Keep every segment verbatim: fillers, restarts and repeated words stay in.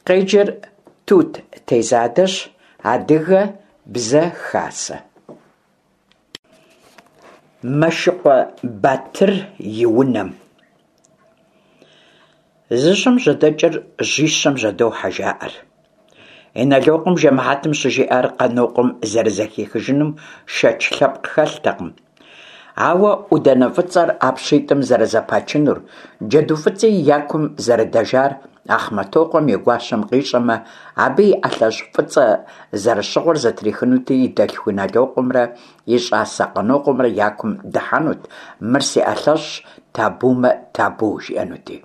Къеджэр Тут Тезадэщ. Адыгэ бзэ хасэ. Мэшыкъуэ Батыр и унэм. Зы жьэм жьэдэкӏыр жьищэм жьэдохьэ, жаӏэр. Инэлокъуэм жэмыхьэтым щыжиӏар Къанокъуэм зэрызэхихыжынум шэч лъэпкъ хэлътэкъым. Ауэ ӏуданэ фӏыцӏэр а пщитӏым зэрызэпачынур, джэду фӏыцӏи я кум зэрыдэжар Ахъмэтокъуэм и гуащэм къищӏэмэ, абы и ӏэлъэщӏ фӏыцӏэ зэрыщыгъыр зытрихынути, и дэлъху Инэлокъуэмрэ и щӏасэ Къанокъуэмрэ я кум дыхьэнут, мыр си ӏэлъэщӏщ, табумэ табу, жиӏэнути.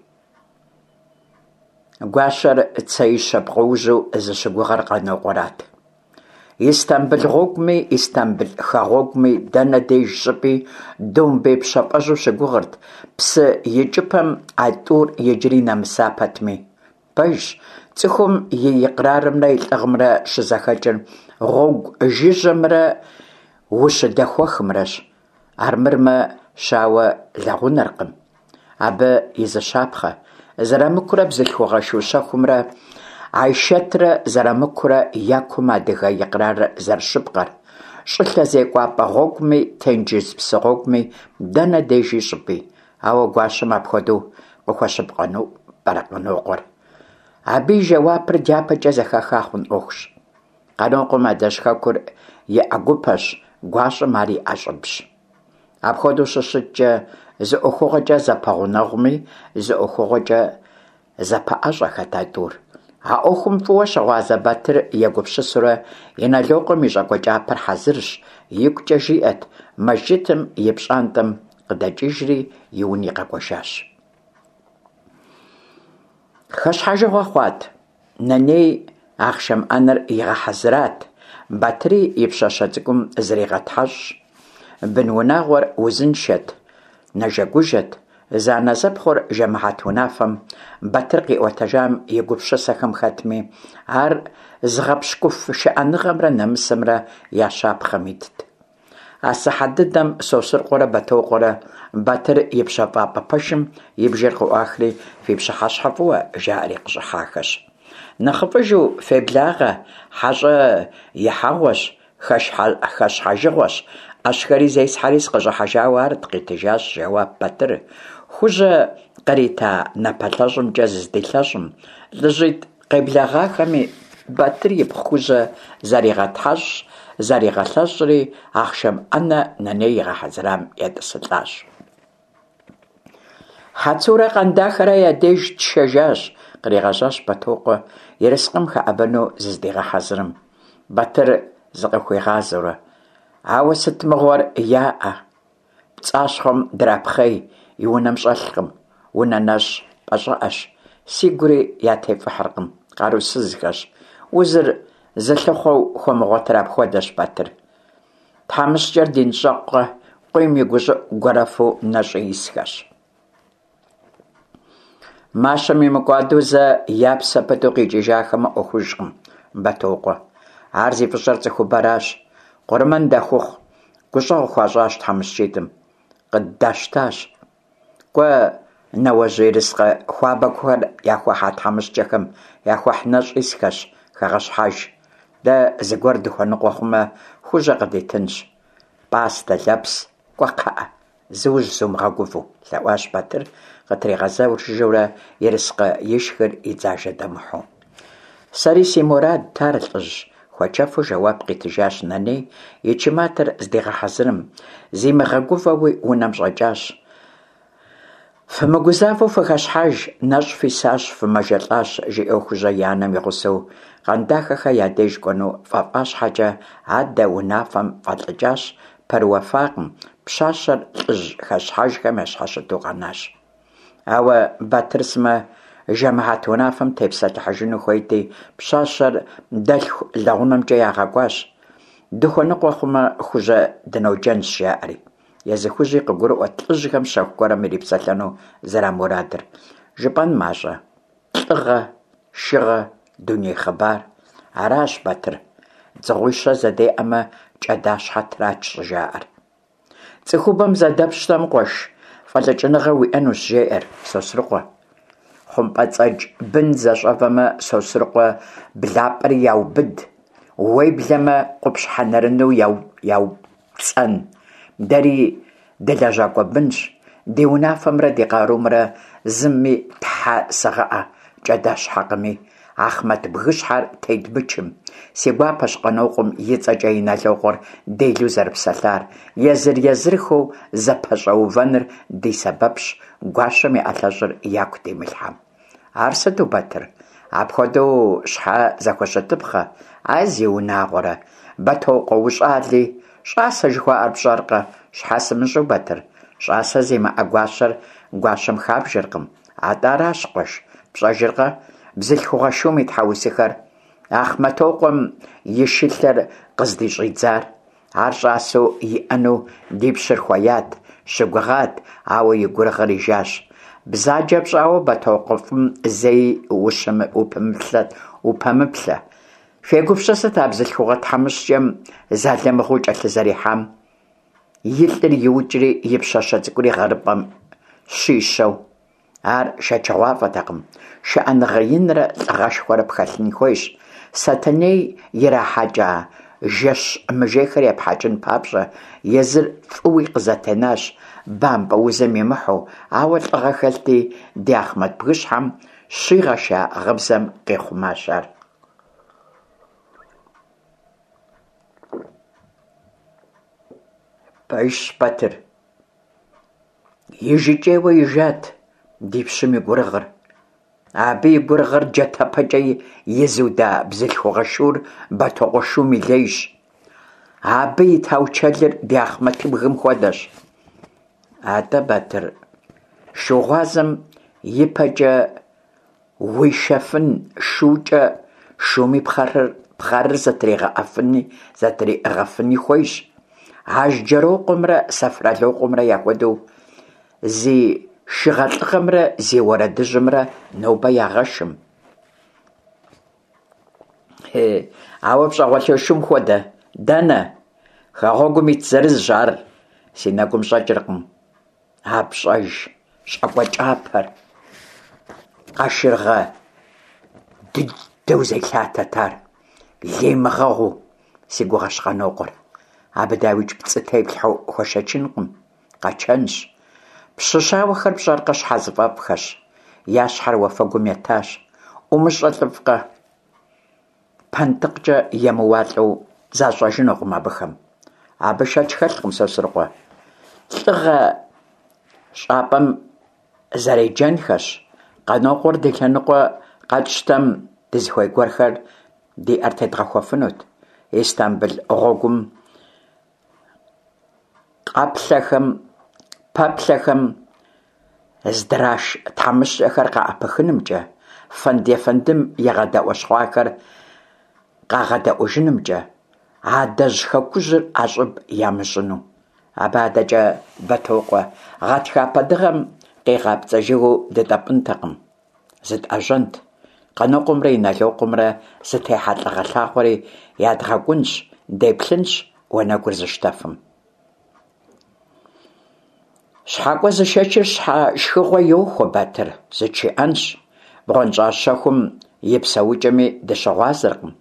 Гуащэр цеищэ пкъоужьу зыщыгугъыр Къанокъуэрат. Истамбыл гъуэгуми, Истамбыл хэгъуэгуми, дэнэ деж щӏыпӏи домбей пщэфӏэжьу щыгугъырт, псы икӏыпӏэм а тӏур иджыри нэмыса пэтми. Пэжщ, цӏыхум и икърарымрэ и лӏыгъэмрэ щызэхэкӏыр гъуэгу жыжьэмрэ ущыдэхуэхымрэщ, армырмэ щауэ лэгъунэркъым. Абы и зы щапхъэ: Зэрамыкурэ бзылъхугъэ шу щэхумрэ Айшэтрэ Зэрамыкурэ я кум адыгэ икърарыр зэрыщыпкъэр, щӏылъэ зекӏуапӏэ гъуэгуми, тенджыз псы гъуэгуми, дэнэ дежи щӏыпӏи. Ауэ гуащэм апхуэдэу къыхуэщыпкъэну пӏэрэ Къанокъуэр? Абы и жэуапыр дяпэкӏэ зэхэха хъун ӏуэхущ. Къанокъуэм адэжь хэкур и ӏэгупэщ, гуащэм ар и ӏэщӏыбщ. Апхуэдэу щыщыткӏэ, зы ӏуэхугъуэкӏэ зэпэгъунэгъуми, зы ӏуэхугъуэкӏэ зэпэӏэщӏэхэт а тӏур. А ӏуэхум фӏыуэ щыгъуазэ Батыр егупсысурэ, Инэлокъуэм и щӏакӏуэ кӏапэр хьэзырщ, игукӏэ жиӏэт, мэжджытым и пщӏантӏэм къыдэкӏыжри и уни къэкӏуэжащ. Хэщхьэжыгъуэ хъуат. Нэней ахъшэм ӏэнэр игъэхьэзырат, Батыри и пщащэ цӏыкӏум зригъэтхьэщӏщ. Бынунагъуэр узыншэт, нэжэгужэт. Зэанэзэпхъур жэмыхьэт унафэм Батыр къиӏуэтэжам и гупсысэхэм хэтми, ар зыгъэпщкӏуф шыӏэныгъэмрэ нэмысымрэ я щапхъэм итт. А сыхьэт дыдэм Сосрыкъуэрэ Бэтокъуэрэ Батыр и пщэфӏапӏэ пэшым и бжэр къыӏуахри, «Фи пщыхьэщхьэ фӏыуэ!» жаӏэри къыщӏыхьахэщ. Нэхъыфӏыжу, феблагъэ, хьэщӏэ ихьэгъуэщ, хэщхьэжыгъуэщ, ӏэщхэри зесхьэри сыкъыщӏыхьэжауэ арт, къитыжащ жэуап Батыр, Хужьэ кърита напэлъэщӏымкӏэ зыздилъэщӏым. Лӏыжьитӏ къеблэгъахэми Батыр ипхъу Хужьэ заригъэтхьэщӏщ, заригъэлъэщӏри, ахъшэм ӏэнэ Нэней игъэхьэзырам етӏысылӏащ. Хьэцурэ Къандахэрэ я деж тшэжащ, къригъэжьащ Бэтокъуэ, ерыскъым хэӏэбэну зыздигъэхьэзырым, Батыр зыкъыхуигъазэурэ. Ауэ сыт мыгъуэр яӏэ? Пцӏащхъуэм драпхъей, и унэм щӏэлъкъым, унэ нэщӏ пӏэщӏыӏэщ. Сигури ятефӏыхьыркъым, къарусызхэщ. Узыр зылъыхъуэу хуэмыгъуэтыр апхуэдэщ, Батыр. Тхьэмыщкӏэр динщӏэкъукъэ, къуийм и гущӏыӏу гуэрэфу нэщӏу исхэщ. Мащэм имыкӏуадэу зэ я псэ пыту къикӏыжахэмэ ӏуэхужкъым, Бэтокъуэ. Ар зи фӏыщӏэр цӏыхубэращ. Къурмэн дахухъу, гущӏэгъу хуащӏащ тхьэмыщкӏитӏым, къыддащтащ. Кӏуэ, нэуэжь ерыскъы хуабэхэр яхуэхьа тхьэмыщкӏэхэм, яхуэхь нэщӏ исхэщ, хэгъэщхьэж. Дэ зыгуэр дыхуэныкъуэ хъумэ, Хужьэ къыдитынщ. Пӏастэ, лэпс, кӏуэ кхъыӏэ, зыужь зумыгъэгувэу, лъэӏуащ Батыр, къытригъэзэжурэ ерыскъы ишхыр и дзажэ дэмыхьэу. Сэри си мурадт ар, лӏыжь, хуэчэфу жэуап къитыжащ Нэней, и чыматэр здигъэхьэзырым, зимыгъэгувэуи унэм щӏэкӏащ. Фымыгузавэу фыхэщхьэж, нэщӏ фисащ, фымэжэлӏащ, жиӏэу Хужьэ и анэм и гъусэу Къандахэхэ я деж кӏуэну фӏэфӏа щхьэкӏэ, адэ унафэм фӏэлӏыкӏащ, пэрыуэфакъым, пщащэр лӏыжь хэщхьэжхэм ящхьэщыту къэнащ. Ауэ Батыр сымэ жэмыхьэт унафэм тепсэлъыхьыжыну хуейти, пщащэр дэлъху лэгъунэмкӏэ ягъэкӏуащ. Дыхуэныкъуэ хъумэ, Хужьэ дыноджэнщ, жаӏэри. Езы Хужьи къыгурыӏуэт лӏыжьхэм щэху гуэрым ирипсэлъэну зэрамурадыр. Жыпӏэн мащӏэ? Лӏыгъэ, шыгъэ, дуней хъыбар. Аращ, Батыр, дзыгъуищэ зэдеӏэмэ, кӏэдащхьэ трач щӏыжаӏэр. Цӏыхубэм зэдэпщтэм, къуэш, фӏэлӏыкӏыныгъэ уиӏэнущ, жеӏэр Сосрыкъуэ. ХъумпӀэцӀэдж бын зэщӀэвэмэ, Сосрыкъуэ блапӀэри яубыд, уеблэмэ къупщхьэ нэрынэу яупцӀэн. Дэри дылэжьакӀуэ бынщ, ди унафэмрэ ди къарумрэ зыми, тхьэ сыгъыӀэ, кӀэдэщхьэкъыми, Ахъмэт бгыщхьэр тедмычым. Си гуапэщ Къанокъуэм и цӀэкӀэ Инэлокъуэр делэу зэрыпсэлъар. Езыр-езырхэу зэпэщӀэувэныр ди сэбэпщ, гуащэм и ӀэлъэщӀыр яку димылъхьэм. Ар сыту, Батыр? Апхуэдэу щхьэ зэхущытыпхъэ? А зиунагъуэрэ, Бэтокъуэ ущӀали, щӀасэ жыхуаӀэр пщӀэркъэ? Щхьэ сымыщӀэу, Батыр? ЩӀасэ зимыӀэ гуащэр гуащэм хабжэркъым. АтӀэ аращ, къуэш, пщӀэжыркъэ бзылъхугъэ шум и тхьэусыхэр? Ахъмэтокъуэм и шылъэр къыздыщӀидзар. Ар щӀасэу иӀэну ди пщыр хуеят, щыгугъат, ауэ и гурыгъыр ижащ. Бзаджэ пщӀауэ Бэтокъуэ фӀым зэи упэмыплъэ. Фегупсысыт а бзылъхугъэ тхьэмыщкӀэм залымыгъэу кӀэлъызэрихьам, и лӀыр иукӀри и пщащэ цӀыкӀури гъэрыпӀэм щищэу. Ар шэчыгъуафӀэтэкъым. ШыӀэныгъэ инрэ лӀыгъэшхуэрэ пхэлъын хуейщ, Сэтэней ирахьэкӀа жэщ мыжейхэр епхьэкӀын папщӀэ. Езыр фӀыуи къызэтенащ, бампӀэ узым имыхьу, ауэ лӀыгъэ хэлъти, ди Ахъмэт бгыщхьэм щигъэша гъыбзэм къихъумащ ар. Пэжщ, Батыр. ИжыкӀейуэ ижат ди пщым и гурыгъыр. Абы и гурыгъыр джатэпэкӀэ изуда бзылъхугъэ шур Бэтокъуэ шум и лейщ. Абы и таучэлыр ди Ахъмэтыбгым хуэдэщ. АтӀэ, Батыр, шу гъуазэм и пэкӀэ уишэфын шукӀэ шуми пхъэрыр зэтриӀыгъэфыни хуейщ. Ажьджэрокъуэмрэ Сэфралыкъуэмрэ яхуэдэу зи шыгъэлӀыгъэмрэ зи уэрэдыжьымрэ нобэ ягъэшым. Ауэ пщӀэгъуэлэ шум хуэдэ дэнэ? Хэгъуэгум ит зырызщ ар си нэгум щӀэкӀыркъым. А пщӀэж щӀакӀуэ кӀапэр къашыргъэ дыдэу зелъатэт ар, леймыгъэгъуу си гугъэщ Къанокъуэр. Абы, дауикӀ, пцӀы теплъхьэу хуэшэчынкъым, къэчэнщ. Пщы щауэхэр пщӀэркъэ, щхьэзыфӀэфӀхэщ, я щхьэр уафэгум етащ. ӀумыщӀэ лӀыфӀкъэ? ПэнтӀыкӀэ емыуалӀэу защӀэжынукъым абыхэм. Абы шэч хэлъкъым, Сосрыкъуэ. ЛӀыгъэ щӀапӀэм зэреджэнхэщ. Къанокъуэр ди лъэныкъуэ къэтщтэм, дызыхуей гуэрхэр ди Ӏэр тедгъэхуэфынут. Истамбыл гъуэгум къэплъэхэм, пэплъэхэм здраш тхьэмыщкӀэхэр къаӀэпыхынымкӀэ, фэнд-ефэндым игъэдэӀуэщхъуахэр къагъэдэӀуэжынымкӀэ, адэжь хэкужьыр ӀэщӀыб ямыщӀыну. Абы адэкӀэ, Бэтокъуэ, гъатхэпэ дыгъэм къигъапцӀэ жыгыу дытӀэпӀынтэкъым, зытӀэжьэнт. Къанокъуэмрэ Инэлокъуэмрэ зытехьа лӀыгъэ лъагъуэри ядгъэкӀунщ, деплъынщ уанэгур зыщтэфым. ЩхьэкӀуэ зышэчыр щхьэ шхыгъуэ йохуэ, Батыр, зытшыӀэнщ. БгъуэнщӀагъ щэхум и псэукӀэми дыщыгъуазэкъым.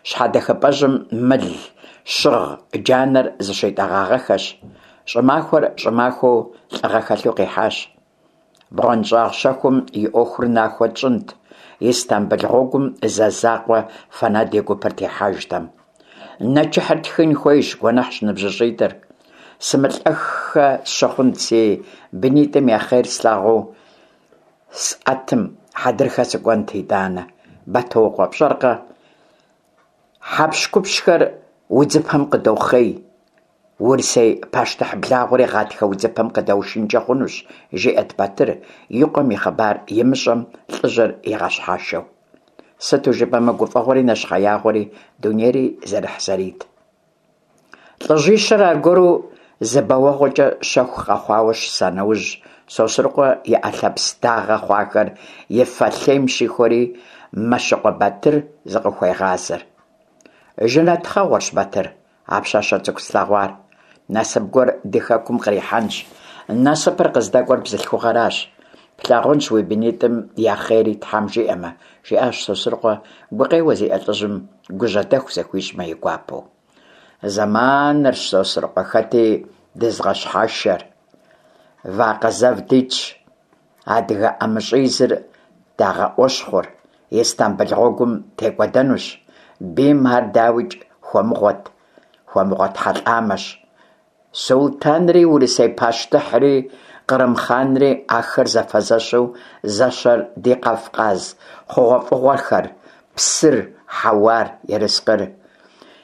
ЩхьэдэхыпӀэжьым мыл щыгъ джанэр зыщитӀэгъагъэххэщ. ЩӀымахуэр щӀымахуэу лӀыгъэ хэлъу къихьащ. БгъуэнщӀагъ щэхум и Ӏуэхур нахуэ тщӀынт, Истамбыл гъуэгум зэ закъуэ Фэнэд и гупэр техьэжтэм. Нэчыхьыр тхын хуейщ, гуэныхьщ ныбжьыщӀитӀыр. СымылӀэххэ сщыхъунт, си бынитӀым я хъер слъагъуу сӀэтым, хьэдрыхэ сыкӀуэнт итӀанэ. Бэтокъуэ, пщӀэркъэ, хьэпщхупщхэр удзыпэм къыдохъей. Урысей пащтыхь благъуэри гъатхэ удзыпэм къыдэушынкӀэ хъунущ, жиӀэрт Батыр, и къуэм и хъыбар имыщӀэм лӀыжьыр игъэщхьэшэу. Сыту жыпӀэмэ, гуфӀэгъуэри нэщхъеягъуэри, дунейри зэрыхьзэрийт. ЛӀыжьищыр аргуэру зы бэуэгъуэкӀэ щэху къэхъуауэ щыса нэужь, Сосрыкъуэ и Ӏэ лъэпс дагъэ хъуахэр и фэ лъейм щихуэри, Мэщыкъуэ Батыр зыкъыхуегъазэр. Жэнэт тхъэгъуэрщ, Батыр, а пщащэ цӀыкӀу слъэгъуар. Насып гуэр ди хэкум кърихьэнщ. Насыпыр къыздэкӀуэр бзылъхугъэращ. Плъагъунщ уи бынитӀым я хъери, Тхьэм жиӀэмэ, – жиӀащ Сосрыкъуэ, гукъеуэ зиӀэ лӀыжьым гужьэдэху зыхуищӀмэ и гуапэу. Зэманырщ, Сосрыкъуэ, хэти дызыгъэщхьэшэр. Вакъэ зэв дитщ, адыгэ ӀэмыщӀизыр дагъэӀуэщхъур, Истамбыл гъуэгум текӀуэдэнущ. Бийм ар, дауикӀ, хуэмыгъуэт хьэлӀамэщ. СултӀанри, Урысей пащтыхьри, кърым хъанри – ахэр зэфэзэщу зэщэр ди Кавказ хъугъуэфӀыгъуэхэр: псыр, хьэуар, ерыскъыр.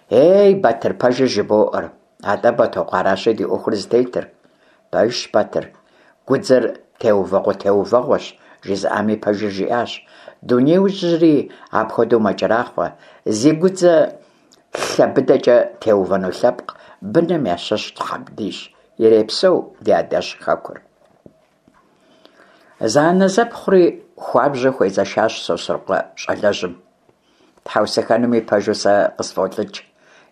Ей, Батыр, пэжыр жыбоӀэр. АтӀэ, Бэтокъуэ, аращи ди Ӏуэхур зытетыр. Пэжщ, Батыр, гудзэр теувэгъуэ-теувэгъуэщ, жызыӀами пэжыр жиӀащ. Дунеижьри апхуэдэу мэкӀэрахъуэ, зи гудзэ лъэ быдэкӀэ теувэну лъэпкъ быным ящыщ Тхьэм дищӀ. Ирепсэу ди адэжь хэкур! Зэанэзэпхъури хуабжьу хуезэшащ Сосрыкъуэ щӀалэжьым. Тхьэусыхэнуми, пэжу, сэ къысфӀолӀыкӀ,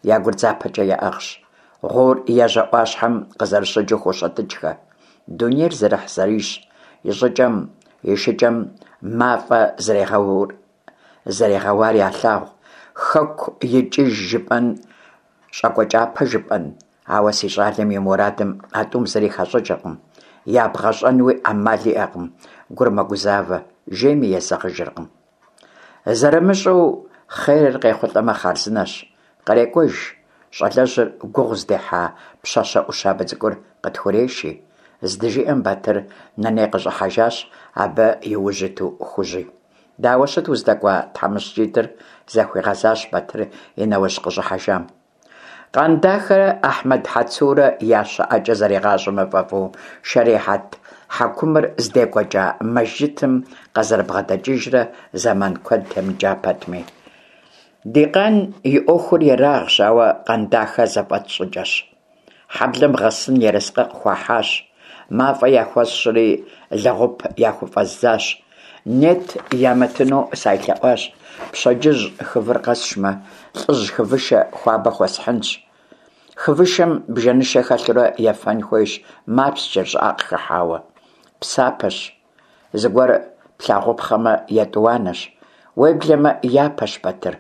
я гур дзапэкӀэ яӀыгъщ, гъуор ежьэ Ӏуащхьэм къызэрыщыджэу хощэтыкӀхэ. Дунейр зэрыхьзэрийщ, и щӀыкӀэм, и шыкӀэм мафӀэ зэригъэуар ялъагъу, хэку икӀыж жыпӀэн, щӀакӀуэ кӀапэ жыпӀэн, ауэ си щӀалэм и мурадым а тӀум зыри хащӀыкӀыркъым, ябгъэщӀэнуи Ӏэмал иӀэкъым, гур мэгузавэ, жейми езэгъыжыркъым. ЗэрымыщӀэу хъерыр къехъулӀэмэ, хъарзынэщ, кърекӀуэж, щӀалэжьыр гугъу зыдехьа пщащэ Ӏущабэ цӀыкӀур къытхуреши, – здыжиӀэм, Батыр Нэней къыщӀыхьэжащ, абы и ужь иту Хужьи. – Дауэ щыт уздэкӀуа тхьэмыщкӀитӀыр? – захуигъэзащ Батыр и нэужь къыщӀыхьэжам. Къандахэрэ Ахьмэд Хьэцурэ я щыӀэкӀэ зэригъащӀэмэ фӀэфӀу, шэрихьэт хьэкумыр здекӀуэкӀа мэжджытым къызэрыбгъэдэкӀыжрэ зэман куэд темыкӀа пэтми. Ди къан и Ӏуэхур ерагъщ, ауэ Къандахэ зэфӀэт щӀыкӀэщ. Хьэблэм гъэсын ерыскъы къыхуахьащ, мафӀэ яхуэсщӀри лэгъуп яхуфӀэздзащ. Нет ямытыну сайлъэӀуащ, пщэдджыжь хывыр къэсшмэ, лӀыжь хывышэ хуабэ хуэсхьынщ. Хывышэм бжэнышэ хэлъурэ ефэн хуейщ, мапсчэр, щӀыӀэ къыхыхьауэ. Псапэщ, зыгуэр плъагъупхъэмэ, етӀуанэщ, уеблэмэ япэщ, Батыр.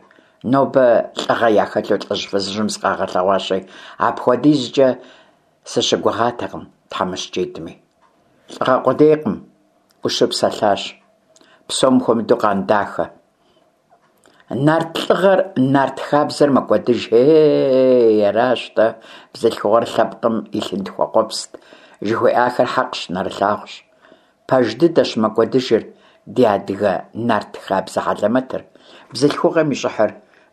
Нобэ лӀыгъэ яхэлъу лӀыжь-фызыжьым зыкъагъэлъэгъуащи, апхуэдизкӀэ сыщыгугъатэкъым тхьэмыщкӀитӀми. ЛӀыгъэ къудейкъым, Ӏущу псэлъащ, псом хуэмыдэу Къандахэ. Нарт лӀыгъэр, нарт хабзэр мэкӀуэдыж. Ей, аращ-тӀэ, бзылъхугъэр лъэпкъым и лъынтхуэ къуэпст жыхуиӀахэр хьэкъщ, нэрылъагъущ. Пэж дыдэщ, мэкӀуэдыжыр ди адыгэ нарт хабзэ хьэлэмэтыр, бзылъхугъэм и щӀыхьыр,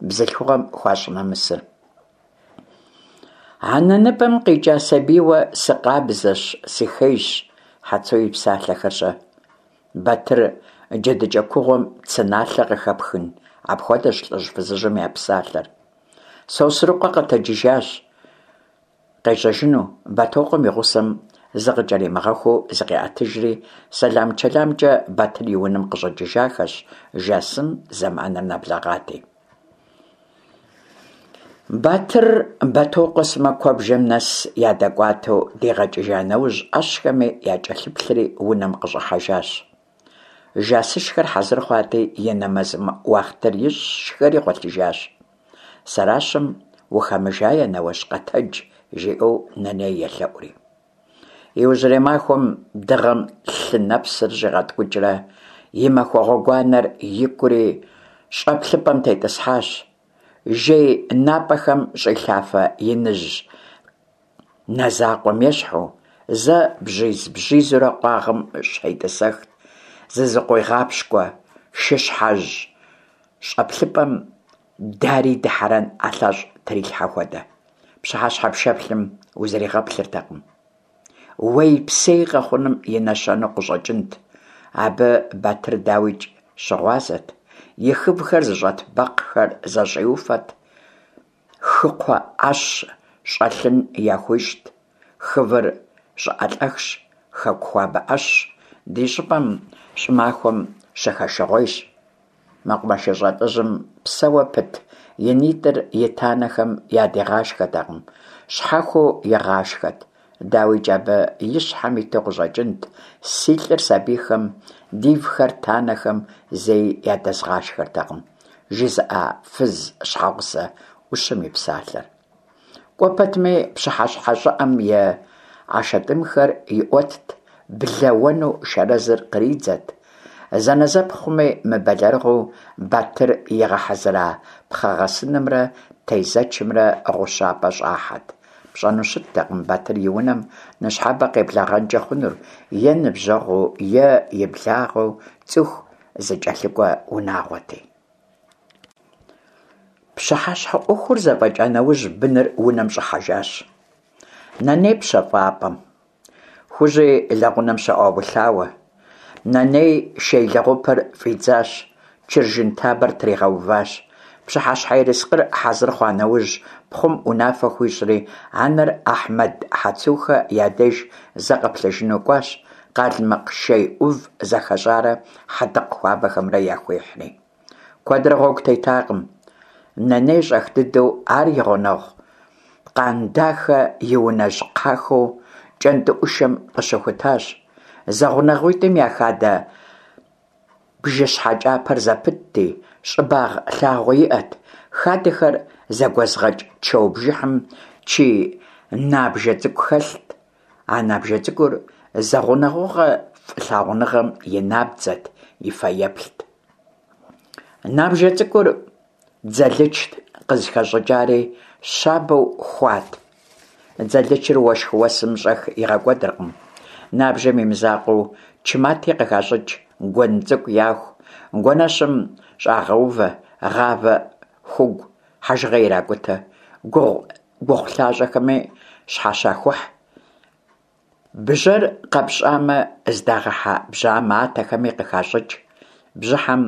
бзылъхугъэм хуащӀ нэмысыр. Анэ ныбэм къикӀа сабийуэ сыкъабзэщ, сыхейщ, Хьэцу и псалъэхэр-щэ? Батыр, джэдыкӀэ кугъуэм цы налъэ къыхэпхын, апхуэдэщ лӀыжь-фызыжьым я псалъэр. Сосрыкъуэ къэтэджыжащ къежьэжыну, Бэтокъуэм и гъусэм зыкъыкӀэримыгъэхуу зыкъиӀэтыжри, сэлам-чэламкӀэ Батыр и унэм къыщӀэкӀыжахэщ, жасым зэманыр нэблэгъати. Батыр Бэтокъуэ сымэ куэбжэм нэс ядэкӀуатэу дигъэкӀыжа нэужь, Ӏэщхэми якӀэлъыплъри унэм къыщӀыхьэжащ. Жасышхэр хьэзыр хъуати, и нэмэз уахътыр ищӀщ, шхэри гъуэлъыжащ. Сэращым ухэмыжае, неущ къэтэдж, жиӀэу Нэней елъэӀури. Иужьрей махуэм дыгъэм лъы нэпсыр щӀигъэткӀукӀрэ и махуэ гъуэгуанэр икӀури щӀэплъыпӀэм тетӀысхьащ. Жей напӀэхэм щӀилъафэ иныжь нэ закъуэм ещхьу, зэ бжьиз-бжьизурэ къуагъым щхьэтӀысэхт, зызыкъуигъапщкӀуэ шыщхьэжь щӀэплъыпӀэм дарий дыхьэрэн ӀэлъэщӀ трилъхьа хуэдэ. Пщыхьэщхьэ пшэплъым узэригъэплъыртэкъым. Уейпсей къэхъуным и нэщэнэу къыщӀэкӀынт. Абы Батыр, дауикӀ, щыгъуазэт, и хывхэр зыщӀэт бэкхъхэр зэщӀиуфэт, хыкхъуэ Ӏэщ щӀэлъын яхуищӀт. Хывыр щӀыӀэлӀэхщ, хэку хуабэ Ӏэщщ, ди щӀыпӀэм щӀымахуэм щыхэшыгъуейщ. МэкъумэшыщӀэ лӀыжьым псэуэ пыт и нитӀыр и танэхэм ядигъашхэртэкъым, щхьэхуэу игъашхэт. Дауикӏ, абы и щхьэм иту къыщӏэкӏынт «Си лӏыр сабийхэм, дивхэр танэхэм зэи ядэзгъашхэртэкъым» жызыӏа фыз щхьэгъусэ ӏущым и псалъэр. Кӏуэ пэтми пщыхьэщхьэ щӏыӏэм и ӏэшэтӏымхэр иӏуэтт, блэ уэну шэрэзыр къридзэт. Зэнэзэпхъуми мыбэлэрыгъыу Батыр игъэхьэзыра пхъэгъэсынымрэ тезэчымрэ гъущапӏэ щӏахьэт. Пщӏэну щыттэкъым Батыр и унэм ныщхьэбэ къеблэгъэнкӏэ хъунур е ныбжьэгъуу, е и благъэу, цӏыху зэкӏэлъыкӏуэ унагъуэти. Пщыхьэщхьэ ӏуэхур зэфӏэкӏа нэужь, быныр унэм щӏыхьэжащ. Нэней пщэфӏапӏэм, Хужьи лэгъунэм щоӏэуэлъауэ. Нэней шей лэгъупыр фӏидзащ, чыржын табэр тригъэуващ. Пщыхьэщхьэ ерыскъыр хьэзыр хъуа нэужь, пхъум унафэ хуищӏри, анэр Ахьмэд Хьэцухэ я деж зэ къэплъэжыну кӏуащ, къалмыкъ шей ӏув зэхэщӏарэ хьэдыкъ хуабэхэмрэ яхуихьри. Куэдрэ гъуэгу тетакъым. Нэней щӏэх дыдэу ар и гъунэгъу Къандахэ и унэжь кхъахэу кӏэнтӏыӏушэм къыщыхутащ. Зэгъунэгъуитӏым я хадэ бжыщхьэ кӏапэр зэпытти, щӏыбагъ лъагъуэ иӏэт. Хадэхэр зэгуэзыгъэкӏ чэу бжыхьым чий набжэ цӏыкӏу хэлът. А набжэ цӏыкӏур зэгъунэгъугъэ фӏылъагъуныгъэм и набдзэт, и фэеплът. Набжэ цӏыкӏур дзэлычт къызыхэщӏыкӏари, щабэу хуат. Дзэлычыр уэшх-уэсым щӏэх игъэкӏуэдыркъым. Набжэм и мызакъуэу, чы мати къыхащӏыкӏ, гуэн цӏыкӏу яху, гуэнэщым щӏагъэувэ, гъавэ, хугу, хьэжыгъэ иракӏутэ, гугъу лъащӏэхэми щхьэщахухь. Бжьэр къэпщӏамэ, здагъэхьэ бжьэ матэхэми къыхащӏыкӏ. Бжьыхьэм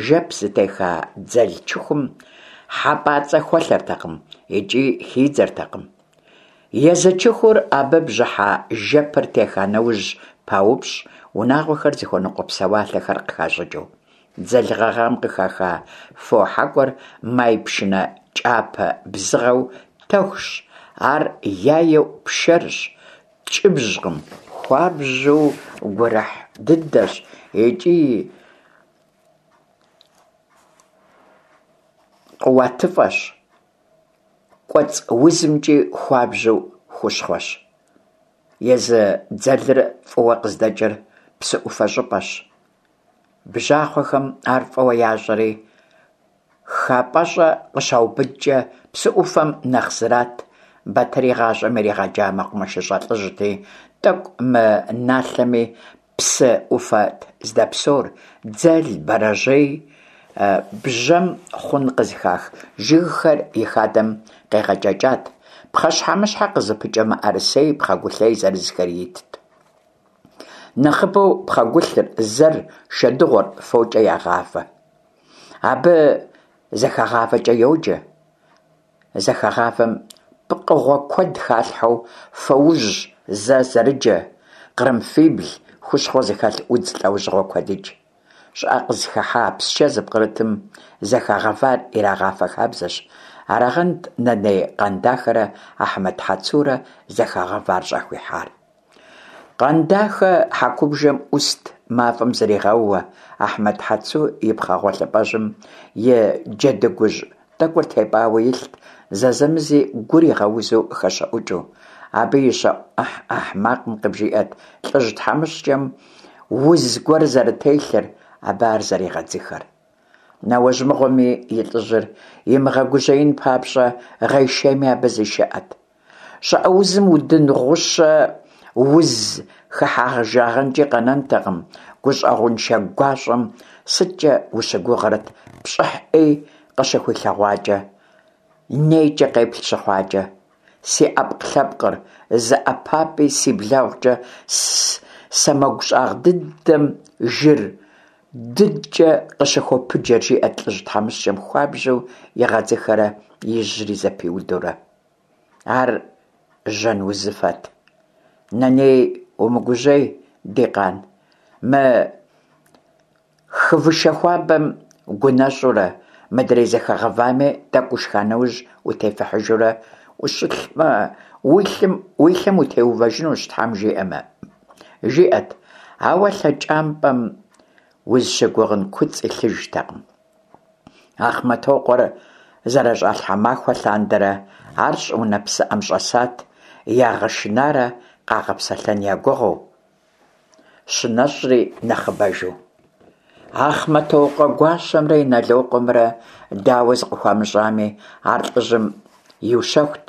жэп зытеха дзэл чыхум хьэпӏацӏэ хуэлъэртэкъым икӏи хидзэртэкъым. Езы чыхур абы бжьыхьэ жэпыр теха нэужь паупщӏ, унагъуэхэр зыхуэныкъуэ псэуалъэхэр къыхащӏыкӏыу. Дзэл гъэгъам къыхаха фо хьэкӏуэр май пшынэ кӏапэ бзыгъэу тэхущ, ар яеу пшэрщ, ткӏыбжькъым, хуабжьу гурыхь дыдэщ икӏи къуатыфӏэщ, кӏуэцӏ узымкӏи хуабжьу хущхъуэщ. Езы дзэлыр фӏыуэ къыздэкӏыр псы ӏуфэ щӏыпӏэщ. Бжьахъуэхэм ар фӏыуэ ящӏэри, хапӏэщӏэ къыщаубыдкӏэ псы ӏуфэм нэхъ зрат. Батыр игъащӏэм иригъэджа мэкъумэшыщӏэ лӏыжьти, тӏэкӏу мыналъэми, псы ӏуфэт здэпсэур, дзэл, бэрэжьей, бжьэм хъун къызыхах жыгхэр и хадэм къегъэкӏэкӏат, пхъэщхьэмыщхьэ къызыпыкӏэ мыӏэрысей, пхъэгулъей зырызхэри итт. Нэхъыбэу пхъэгулъыр, зэр, шэдыгъуэр фокӏэ ягъавэ. Абы зэхэгъавэкӏэ йоджэ. Зэхэгъавэм пкъыгъуэ куэд халъхьэу фоужь, зэ зэрыджэ, кърымфибл, хущхъуэ зыхэлъ удз лӏэужьыгъуэ куэдыкӏ. Щӏыӏэ къызыхыхьа, псчэ зыпкърытым зэхэгъэвар ирагъафэ хабзэщ. Арагъэнт Нэней Къандахэрэ Ахьмэд Хьэцурэ зэхэгъэвар щӏахуихьар. Къандахэ хьэкубжэм ӏуст мафӏэм зригъэууэ, Ахьмэд Хьэцу и пхъэ гъуэлъыпӏэжьым и джэдыгужь тӏэкӏур тепӏауэ илът, зэзэмызи гур игъэузу хэщэӏукӏыу. Абы и щэӏу ӏыхь-ӏыхь макъым къыбжиӏэт лӏыжь тхьэмыщкӏэм уз гуэр зэрытелъыр, абы ар зэригъэдзыхэр. Нэуэжь мыгъуэми и лӏыжьыр имыгъэгужьеин папщӏэ, гъейшейми абы зишыӏэт. Щӏыӏэ узым удын гъущэ уз хыхьэжагъэнкӏи къэнэнтэкъым, гущӏэгъуншэ гуащӏэм сыткӏэ ущыгугърэт пщӏыхь ӏей къыщыхуилъэгъуакӏэ, нейкӏэ къеплъ щыхъуакӏэ. Си ӏэпкълъэпкъыр зы ӏэпапӏи си блэгъукӏэ сэмэгу щӏагъ дыдэм жыр дыдкӏэ къыщыхопыджэр, жиӏэт лӏыжь тхьэмыщкӏэм хуабжьу игъэдзыхэрэ и жьэри зэпиудурэ. Ар жьэн узыфэт. Нэней, умыгужьей, ди къан, мы хывышэ хуабэм гунэщӏурэ, мыдрей зэхэгъэвами тӏэкӏу ушха нэужь утефыхьыжурэ Ущылӏэмэ, уи лъэм утеувэжынущ, Тхьэм жиӏэмэ, жиӏэт, ауэ лъэкӏампӏэм узыщыгугъын куцӏ илъыжтэкъым. Ахъмэтокъуэр зэрыщӏалъхьа махуэ лъандэрэ ар щӏыунэ псыӏэм щӏэсат, ягъэшынарэ къагъэпсэлъэн я гугъэу, щынэщӏри нэхъыбэжу. Ахъмэтокъуэ гуащэмрэ Инэлокъуэмрэ дауэ зыкъыхуамыщӏами, ар лӏыжьым иущэхут,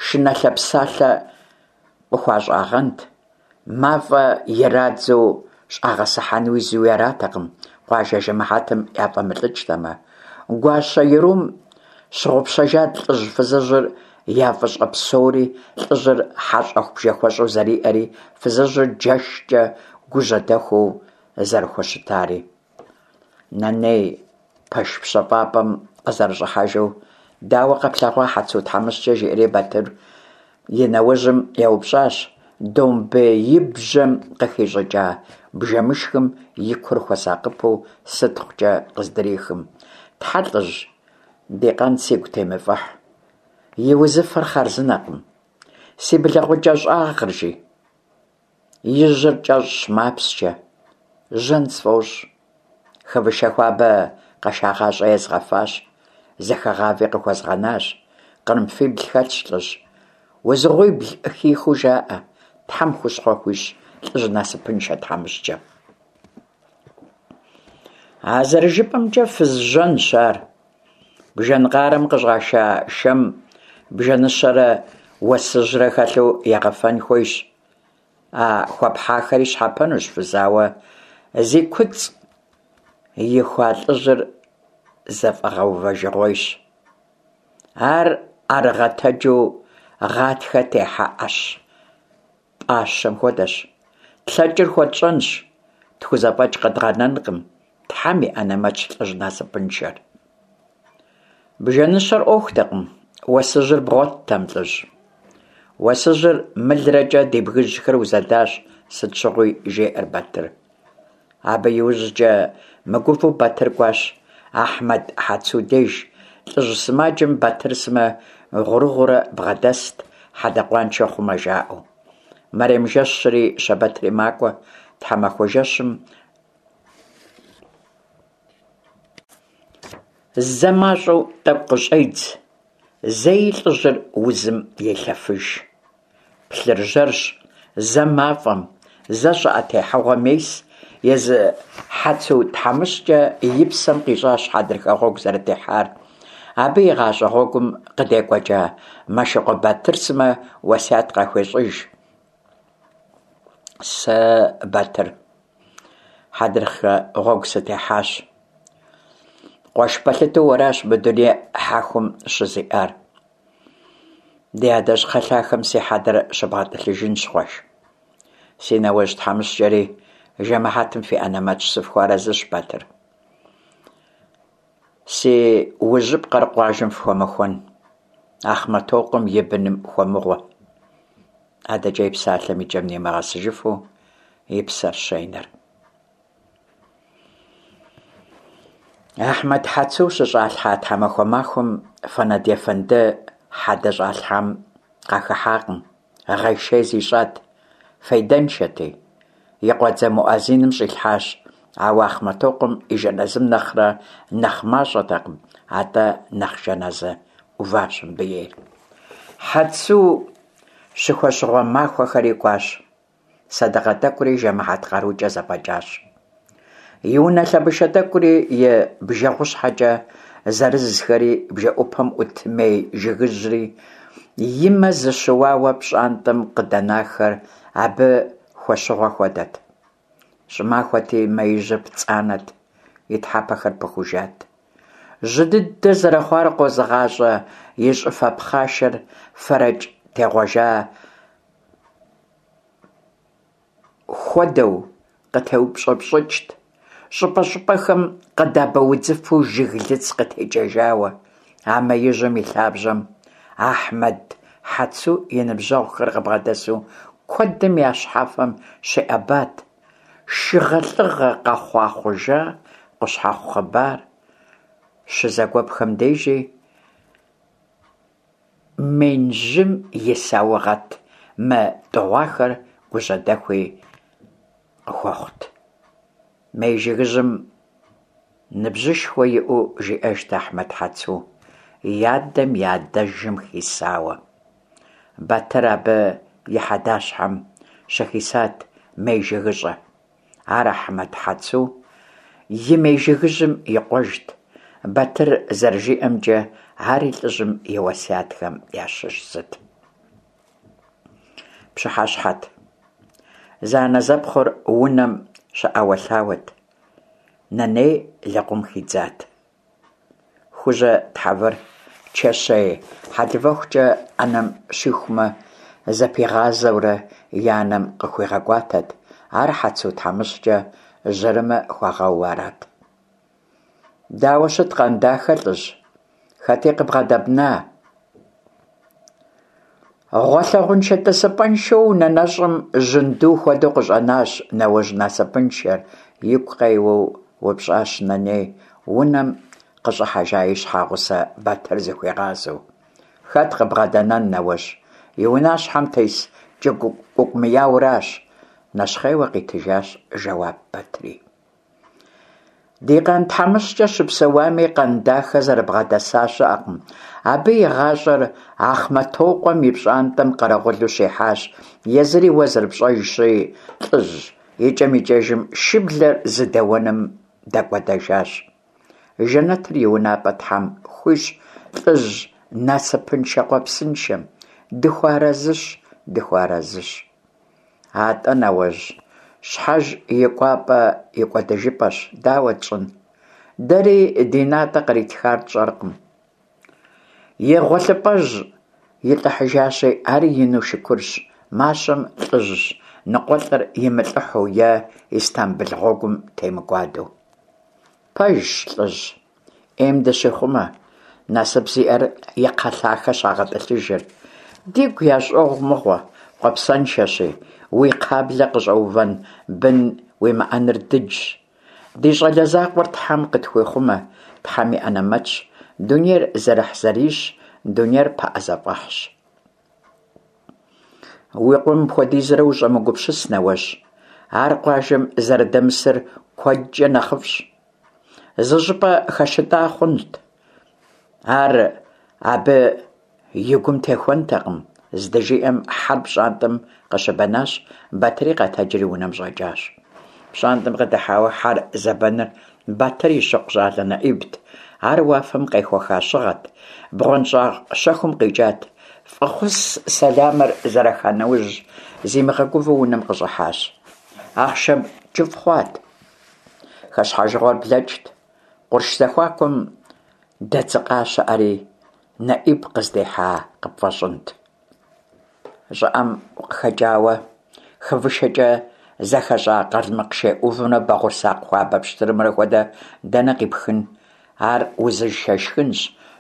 шынэлъэ псалъэ къыхуащӏагъэнт, мафӏэ ирадзэу щӏагъэсыхьэнуи зыуи аратэкъым, къуажэ жэмыхьэтым яфӏэмылӏыкӏтэмэ. Гуащэ ерум щыгъупщэжат лӏыжь-фызыжьыр я фӏыщӏэ псори, лӏыжьыр хьэщӏэху-бжэхуэщӏу зэриӏэри, фызыжьыр джэшкӏэ гужьэдэхуу зэрыхущытари. Нэней пэш пщэфӏапӏэм къызэрыщӏыхьэжу, «Дауэ къэплъэгъуа Хьэцу тхьэмыщкӏэ?» жиӏэри Батыр и нэужьым еупщӏащ, домбеибжьэм къыхищӏыкӏа бжэмышхым и кур хуэсакъыпэу сытхъукӏэ къыздрихым. «Тхьэ, лӏыжь, ди къан сигу темыфӏыхь, и узыфэр хъарзынэкъым. Си блэгъукӏэ щӏагъыр, жи, и жьэр кӏэщӏщ, мапсчэ, жьэн сфӏощӏ. Хывышэ хуабэ къэшагъащӏэ езгъэфащ, зэхэгъави къыхуэзгъэнащ. Кърымфибл хэлъщ, лӏыжь. Узыгъуибл хихыу жаӏэ, Тхьэм хущхъуэ хуищӏ лӏыжь насыпыншэ тхьэмыщкӏэм. А зэрыжыпӏэмкӏэ, фыз жьэнщ ар. Бжэн къарэм къыщӏаша шэм бжэныщэрэ уэсыжьрэ хэлъу егъэфэн хуейщ. А хуэпхьахэри щхьэпэнущ, фыз, ауэ зи куцӏ ихуа лӏыжьыр зэфӏэгъэувэжыгъуейщ. Ар ӏэрыгъэтэджу гъатхэ техьэ ӏэщ пӏащэм хуэдэщ. Тлъэкӏыр хуэтщӏэнщ, тхузэфӏэкӏ къэдгъэнэнкъым, Тхьэм и ӏэнэмэтщ лӏыжь насыпыншэр. Бжэныщэр ӏуэхутэкъым, уэсыжьыр бгъуэттэм, лӏыжь. Уэсыжьрэ мылрэкӏэ ди бгыжьхэр узэдащ сыт щыгъуи, жеӏэр Батыр. Абы иужькӏэ мыгувэу Батыр кӏуащ Ахьмэд Хьэцу деж. ЛӀыжь сымаджэм Батыр сымэ гъурыгъуурэ бгъэдэст, хьэдэ къуаншэ хъумэ жаӏэу. Мэрем жэщри щэбэтри макӏуэ, тхьэмахуэ жэщым зэ мащӏэу тӏэкӏу къыщӏедз, зэи лӏыжьыр узым елъэфыж. Плъыржьэрщ, зэ мафӏэм, зэ щӏыӏэ техьэгъуэм ес. Езы Хьэцу тхьэмыщкӏэ и псэм къищӏащ хьэдрыхэ гъуэгу зэрытехьар. Абы и гъащӏэ гъуэгум къыдекӏуэкӏа Мэшыкъуэ Батыр сымэ уэсят къахуещӏыж. Сэ, Батыр, хьэдрыхэ гъуэгу сытехьащ. Къуэш пэлъытэу уэращ мы дуней хьэхум щызиӏар. Ди адэжь кхъэлъахэм си хьэдэр щыбгъэтӏылъыжынщ, къуэш. Си нэуэжь тхьэмыщкӏэри жэмыхьэтым фи ӏэнэмэтщ, сыфхуэарэзыщ, Батыр. Си ужьыпкъэр къуажэм фхуэмыхуэн, Ахъмэтокъуэм и быным хуэмыгъуэ. Адэкӏэ и псалъэм и кӏэм нимыгъэсыжыфу и псэр щенэр. Ахьмэд Хьэцу щыщӏалъхьа тхьэмахуэ махуэм Фэнэд ефэнды хьэдэ щӏалъхьам къахыхьакъым, гъейшей зищӏат, фейдэншэти. И къуэдзэ муӏэзиным щӏилъхьащ, ауэ Ахъмэтокъуэм и жэназым нэхърэ нэхъ мащӏэтэкъым, атӏэ нэхъ жэназы ӏуващ мыбы ейр. Хьэцу щыхуэщыгъуэ махуэхэри кӏуащ, сэдакъэ тӏэкӏури жэмыхьэт къарукӏэ зэфӏэкӏащ. И унэ лъэбышэ тӏэкӏури, и бжэгъущхьэкӏэ зырызхэри, бжэӏупэм ӏут мей жыгыжьри, и мэ зыщыуауэ пщӏантӏэм къыдэнахэр абы хуэщыгъуэ хуэдэт. Щӏымахуэти, меижьыр пцӏанэт, и тхьэпэхэр пыхужат. Жьы дыдэ зэрыхъуар къозыгъащӏэ и щӏыфэ пхъашэр фэрэкӏ тегъуэжа хуэдэу къытеупщӏыпщӏыкӏт, щӏыпӏэ-щӏыпӏэхэм къэдабэ удзыфэу жыглыц къытекӏэжауэ. А меижьым и лъабжьэм Ахьмэд Хьэцу и ныбжьэгъухэр къыбгъэдэсу куэдым я щхьэфэм щиӏэбат шыгъэлӏыгъэ къэхъуа хъужа къущхьэхъу хъыбар, щызэгуэпхэм дежи Минжьым и саугъэт мытӀыгъуахэр гужьдэхуи къыхуэхъут. Мей жыгыжьым ныбжьышхуэ иӀэу жиӀэжт Ахьмэд Хьэцу, и адэм и адэжым хисауэ. Батыр абы и хьэдащхьэм щыхисат мей жыгыщӀэ. Ар Ахьмэд Хьэцу и мей жыгыжьым и къуэжт. Батыр зэрыжиӀэмкӀэ, ари лӀыжьым и уэсятхэм ящыщ зыт. Пщыхьэщхьэт. Зэанэзэпхъур унэм щыӀэуэлъауэт. Нэней лэкъум хидзат. Хужьэ тхьэвыр чэщей хьэлывэхукӀэ Ӏэнэм щихумэ, зэпигъазэурэ и анэм къыхуигъэкӀуатэт. Ар Хьэцу тхьэмыщкӀэ жьэрымэ хуагъэууэ арат. Дауэ щыт Къандахэ, лӀыжь? Хэти къыбгъэдэбна? Гъуэлъыгъуэншэ-тӀысыпӀэншэу унэ нэщӀым жьынду хуэдэу къыщӀэнащ нэуэжь насыпыншэр, игу къеуэу упщӀащ Нэней, унэм къыщӀыхьэжа и щхьэгъусэ Батыр зыхуигъазэу. Хэт къыбгъэдэнэн, нэуэжь, и унащхьэм тес кӀукӀумыяуращ, нэщхъейуэ къитыжащ жэуап Батыри. Ди къан тхьэмыщкӀэр щыпсэуами, Къандахэ зэрыбгъэдэса щыӀэкъым. Абы и гъащӀэр Ахъмэтокъуэм и пщӀантӀэм къэрэгъулу щихьащ. Езыри, уэ зэрыпщӀэжщи, лӀыжь, икӀэм-икӀэжым шыблэр зыдэуэным дэкӀуэдэжащ. Жэнэтыр и унапӀэ Тхьэм хуищӀ лӀыжь насыпыншэ-къуэпсыншэм, дыхуэарэзыщ, дыхуэарэзыщ. АтӀэ, нэуэжь, щхьэж и кӀуапӀэ и кӀуэдыжыпӀэщ, дауэ тщӀын? Дэри ди натӀэ къритхар тщӀэркъым. И гъуэлъыпӀэжь илӀыхьыжащи, ари ину шыкурщ, мащэм лӀыжь ныкъуэлӀыр имылӀыхьу е Истамбыл гъуэгум темыкӀуадэу. Пэжщ, лӀыжь, Ӏейм дыщихъумэ, насып зиӀэр и кхъэлъахэ щагъэтӀылъыжыр. Дигу ящӀогъу мыгъуэ, къуэпсэншэщи, уи кхъаблэ къыщӀэувэн бын уимыӀэныр дыджщ. Ди щӀалэ закъуэр Тхьэм къытхуихъумэ, Тхьэм и анэмэтщ, дунейр зэрыхьзэрийщ, дунейр пыӀэзэфӀэхьщ. Уи къуэм мыпхуэдизрэ ущӀэмыгупсыс, нэуэжь, ар къуажэм зэрыдэмысыр куэдкӀэ нэхъыфӀщ. Зы щӀыпӀэ хэщытӀа хъунт, ар абы и гум техуэнтэкъым, здыжиӀэм хьэр пщӀантӀэм къыщыбэнащ, Батыри къэтэджри унэм щӀэкӀащ. ПщӀантӀэм къыдыхьауэ хьэр зэбэныр Батыр и щыкъу щӀалэ НэӀибт. Ар уафэм къехуэха щыгъэт, бгъуэнщӀагъ щэхум къикӀат. ФӀэхъус сэламыр зэраха нэужь, зимыгъэгувэу унэм къыщӀыхьащ. Ахъшэм кӀыфӀ хъуат. Хэщхьэжыгъуэр блэкӀт. Къурш зэхуакум дэдзыкъа щыӀэри, НэӀиб къыздихьа къыпфӀэщӀынт. ЩӀыӀэм укъыхэкӀауэ, хывышэкӀэ зэхэщӀа къалмыкъ шей Ӏувымрэ бэгъурсакъ хуабэ пщтырымрэ хуэдэ дэнэ къипхын? Ар узыншэ шхынщ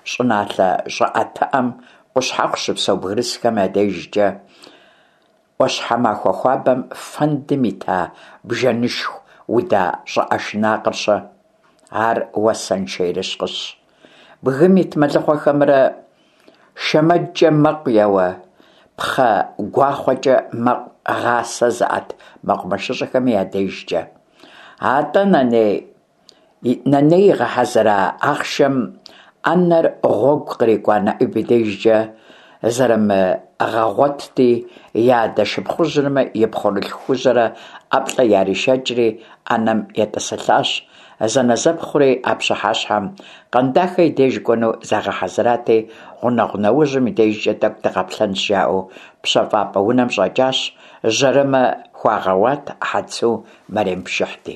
щӀыналъэ щӀыӀэтыӀэм, Къущхьэхъу щыпсэу бгырысхэм я дежкӀэ. Ӏуащхьэмахуэ хуабэм фэндым ита бжэнышху уда щӀыӀэ шынакъыр-щэ? Ар уасэншэ ерыскъыщ. Бгым ит мэлыхъуэхэмрэ шэмэджкӀэ мэкъу еуэ, пхъэ гуахъуэкӀэ мэкъу гъасэ зыӀэт мэкъумэшыщӀэхэми я дежкӀэ. АтӀэ Нэней, Нэней игъэхьэзыра ахъшэм Ӏэнэр гъуэгу кърикӀуа НэӀиб и дежкӀэ зэрымыгъэгъуэтти, и адэ шыпхъужьымрэ и пхъурылъху Хужьэрэ ӀэплӀэ яришэкӀри, Ӏэнэм етӀысылӀащ. Зэнэзэпхъури а пщыхьэщхьэм Къандахэ и деж кӀуэну загъэхьэзырати, гъунэгъу нэужьым и дежкӀэ тӀэкӀу дыкъэплъэнщ, жаӀэу пщэфӀапӀэ унэм щӀэкӀащ, жьэрымэ хуагъэуат Хьэцу, мэрем пшыхьти.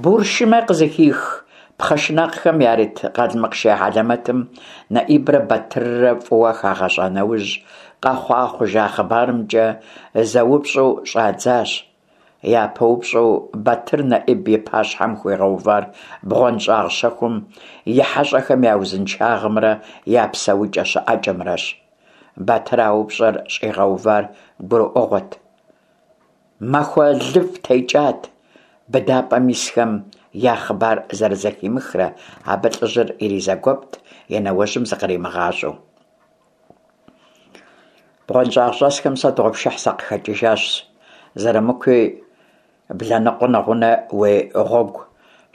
Буршымэ къызыхих пхъэ шынакъхэм ярыт къалмыкъ шей хьэлэмэтым НэӀибрэ Батыррэ фӀыуэ хагъэщӀа нэужь, къэхъуа-хъужа хъыбарымкӀэ зэупщӀу щӀадзащ. Япэ упщӀэу Батыр НэӀиб и пащхьэм хуигъэувар бгъуэнщӀагъ щэхум и хьэщӀэхэм я узыншагъэмрэ я псэукӀэ-щыӀэкӀэмрэщ. Батыр а упщӀэр щӀигъэувар гурыӀуэгъуэт. Махуэ лыфӀ текӀат быдапӀэм исхэм я хъыбар зэрызэхимыхрэ, абы лӀыжьыр иризэгуэпт и нэуэжьым зыкъримыгъащӀэу. БгъуэнщӀагъщӀэсхэм сэ дыгъуэпшыхь сакъыхэкӀыжащ, Зырамыкуи блэ ныкъуэ нэгъунэ уи гъуэгу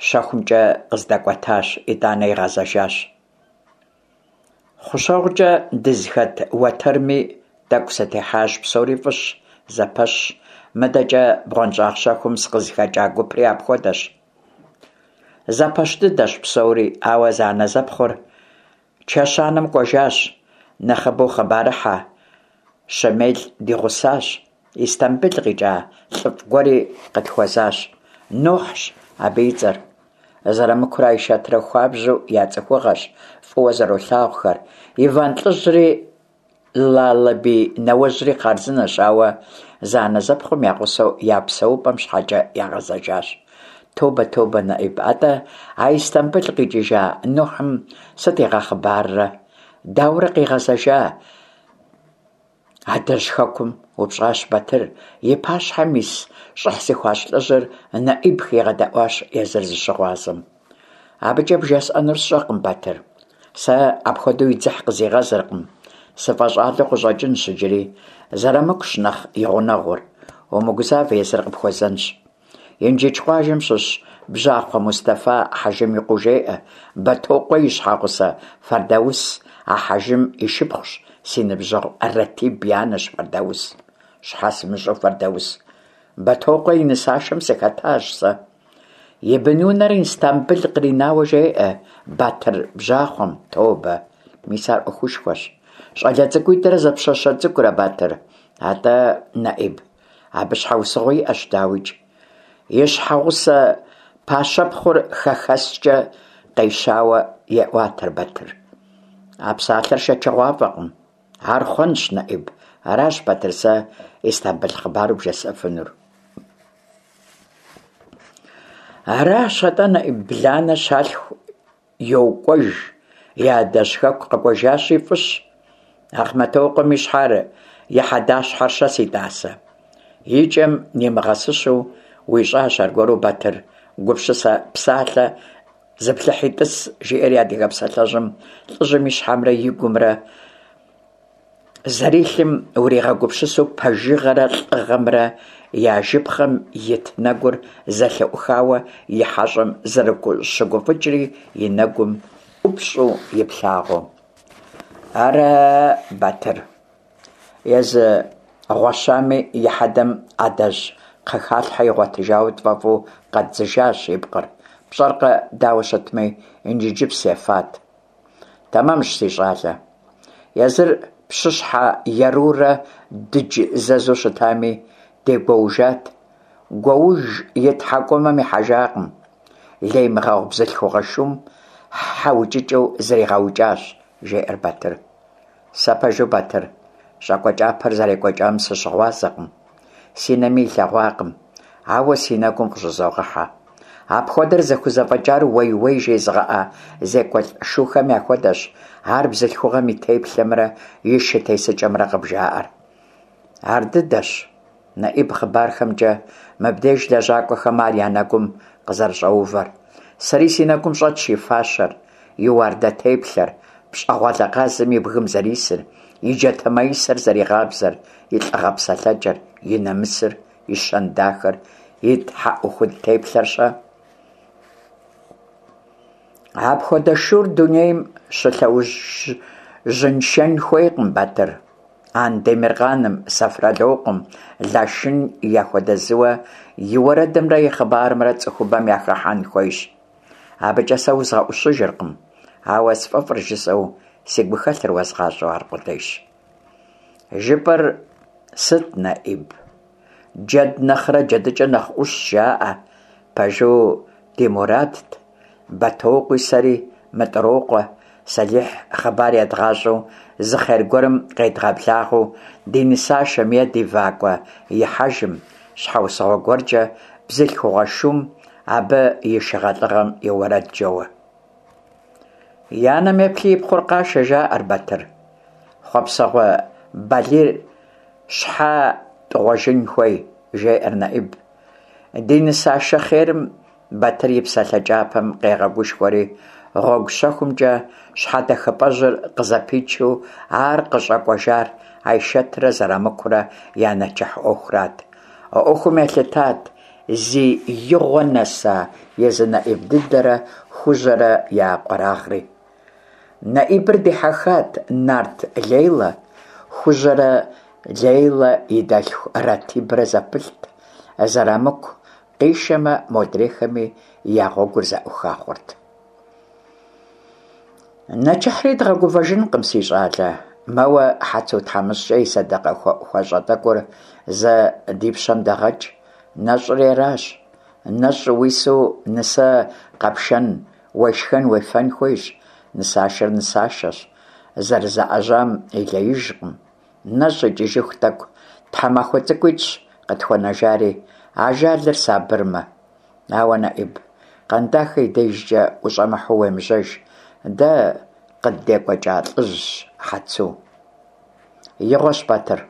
щэхумкӀэ къыздэкӀуэтащ, итӀанэ игъэзэжащ. ХъущэгъукӀэ дызыхэт уэтэрми тӀэкӀу сытехьащ, псори фӀыщ, зэпэщщ, мыдэкӀэ бгъуэнщӀагъ щэхум сыкъызыхэкӀа гупри апхуэдэщ. Зэпэщ дыдэщ псори, ауэ зэанэзэпхъур чэщанэм кӀуэжащ, нэхъыбэу хъыбарыхьэ Щэмел ди гъусащ, Истамбыл къикӀа лӀыфӀ гуэри къытхуэзащ, Нухьщ абы и цӀэр. Зырамыкурэ Айшэтрэ хуабжьу я цӀыхугъэщ, фӀыуэ зэролъагъухэр, Иван лӀыжьри Лалэбий нэуэжьри хъарзынэщ, ауэ зэанэзэпхъум я гъусэу я псэупӀэм щхьэкӀэ ягъэзэжащ. Тобэ, тобэ, НэӀиб, атӀэ а Истамбыл къикӀыжа Нухьым сыт игъэхъыбаррэ? Дауэрэ къигъэзэжа адэжь хэкум? – упщӀащ Батыр, и пащхьэм ис щӀыхь зыхуащӀ лӀыжьыр НэӀиб хигъэдэӀуащ езыр зыщыгъуазэм. АбыкӀэ бжесӀэнур сщӀэркъым, Батыр. Сэ апхуэдэу и дзыхь къызигъэзыркъым, сыфӀэщӀалэу къыщӀэкӀынщ иджыри. Зырамыкущ нэхъ и гъунэгъур. Умыгузавэ, езыр къыпхуэзэнщ. Инжыдж къуажэм щыщ Бжьахъуэ Мустэфа хьэжым и къуэу жеӀэ, Бэтокъуэ и щхьэгъусэ Фэрдаус а хьэжым и шыпхъущ, си ныбжьэгъу Рэтиб и анэщ Фэрдаус. Щхьэ сымыщӀэу Фэрдаус? Бэтокъуэ и нысашэм сыхэтащ сэ. И бынунэр Истамбыл къринауэ жеӀэ Батыр бжьахъуэм, тобэ, мис ар Ӏуэхушхуэщ. ЩӀалэ цӀыкӀуитӀрэ зы пщащэ цӀыкӀурэ, Батыр? АтӀэ, НэӀиб, абы щхьэусыгъуэ иӀэщ, дауикӀ. И щхьэгъусэ пащэпхъур хэхэскӀэ къещауэ еӀуатэр Батыр. А псалъэр шэчыгъуафӀэкъым. Ар хъуэнщ, НэӀиб. Аращ, Батыр, сэ Истамбыл хъыбару бжесӀэфынур. Аращ атӀэ, НэӀиб, бланэ щалъху йокӀуэж, и адэжь хэку къэкӀуэжащи, фӀыщ. Ахъмэтокъуэм и щхьэр, и хьэдащхьэр-щэ, си тӀасэ? И кӀэм нимыгъэсыщэу уищӀащ аргуэру, Батыр, гупсысэ псалъэ зыплъыхьи тӀыс, жиӀэри адыгэ псалъэжьым лӀыжьым и щхьэмрэ и гумрэ зэрилъым уригъэгупсысу пэжыгъэрэ лӀыгъэмрэ я жыпхъэм ит нэгур зэлъыӀухауэ и хьэщӀэм зэрыщыгуфӀыкӀри и нэгум ӀупщӀу иплъагъуэу. Ара, Батыр, езы гъуэщами и хьэдэм адэжь кхъэхалъхьэ игъуэтыжауэ тфӀэфӀу къэддзыжащ и пкъыр. ПщӀэркъэ, дауэ щытми, Инжыджыпс ефат. Тэмэмщ, си щӀалэ. Езыр пщыщхьэ ерурэ дыдж зэзу щытами, дегуэужат. Гуэуж и тхьэкӀумэм ихьэжакъым. Леймыгъэгъу бзылъхугъэ шум хьэ укӀыкӀэу зригъэукӀащ, жеӀэр Батыр. Сэ пэжу, Батыр, щӀакӀуэ кӀапэр зэрекӀуэкӀам сыщыгъуазэкъым, си нэми илъэгъуакъым, ауэ си нэгум къыщӀызогъэхьэ. Апхуэдэр зыхузэфӀэкӀар уей-уей жезыгъэӀэ зекӀуэлӀ шухэм яхуэдэщ, ар бзылъхугъэм и теплъэмрэ и шы тесыкӀэмрэ къыбжаӀэр. Ар дыдэщ, НэӀиб, хъыбархэмкӀэ мыбдеж лэжьакӀуэхэм ар я нэгум къызэрыщӀэувэр. Сэри си нэгум щӀэтщ и фащэр, и уардэ теплъэр, пщӀэгъуалэ къазым и бгым зэрисыр, и джатэ маисэр зэригъабзэр, и лӀыгъэ псэлъэкӀэр, и нэмысыр, и щэн дахэр, и тхьэӀухуд теплъэр-щэ? Апхуэдэ шур дунейм щылъэужьыншэн хуейкъым, Батыр. Андемыркъаным, Сэфралокъуэм, Лашын яхуэдэ зыуэ и уэрэдымрэ и хъыбарымрэ цӀыхубэм яхыхьэн хуейщ. АбыкӀэ сэ узгъэӀущыжыркъым, ауэ сфӀэфӀыр жысӀэу си гухэлъыр уэзгъащӀэу аркъудейщ. ЖыпӀэр сыт, НэӀиб? Джэд нэхърэ джэдыкӀэ нэхъ Ӏущщ, жаӀэ. Пэжу, ди мурадт Бэтокъуи сэри МытӀрокъуэ Сэлихь хъыбар едгъащӀэу зы хъер гуэрым къедгъэблагъэу ди нысашэм е ди вакӀуэ ихьэжым, щхьэусыгъуэ гуэркӀэ бзылъхугъэ шум, абы и шыгъэлӀыгъэм и уэрэд джэуэ. И анэм еплъи и пхъур къашэ, жаӀэр, Батыр. Хъуэпсэгъуэ балийр щхьэ тӀыгъуэжын хуей, жеӀэр НэӀиб. Ди нысашэ хъерым Батыр и псалъэ кӀапэм къегъэгушхуэри, Гъуэгу щэхумкӀэ щхьэдэхыпӀэжьыр къызэпичу ар къыщӀэкӀуэжар Айшэтрэ Зэрамыкурэ я нэчыхь Ӏуэхурат. А Ӏуэхум елъытат зи игъуэ нэса езы НэӀиб дыдэрэ Хужьэрэ я къуэрагъри. НэӀибыр дихьэхат нарт Лейла. Хужьэрэ Лейла и дэлъху Ратибрэ зэпылът. Зэрамыку къишэмэ, модрейхэми я гъуэгур зэӀуха хъурт. Нэчыхьри дгъэгувэжынкъым, си щӀалэ, мэуэ Хьэцу тхьэмыщкӀэ и сэдэкъэ хуэӀухуэщӀэ тӀэкӀур зэ ди пщэм дэгъэкӀ. НэщӀри аращ. НэщӀ уису нысэ къэпшэн, уешхэн-уефэн хуейщ. Нысашэр нысашэщ, зэрызаӀэжьам и леижкъым. НэщӀ икӀыжыху тӀэкӀу, тхьэмахуэ цӀыкӀуитӀщ къытхуэнэжари, ажалыр сабырмэ. Ауэ, НэӀиб, Къэндахэ и дежкӀэ ущӀэмыхьэу уемыжьэж, дэ къыддекӀуэкӀа лӀыжьщ Хьэцу. Игъуэщ, Батыр,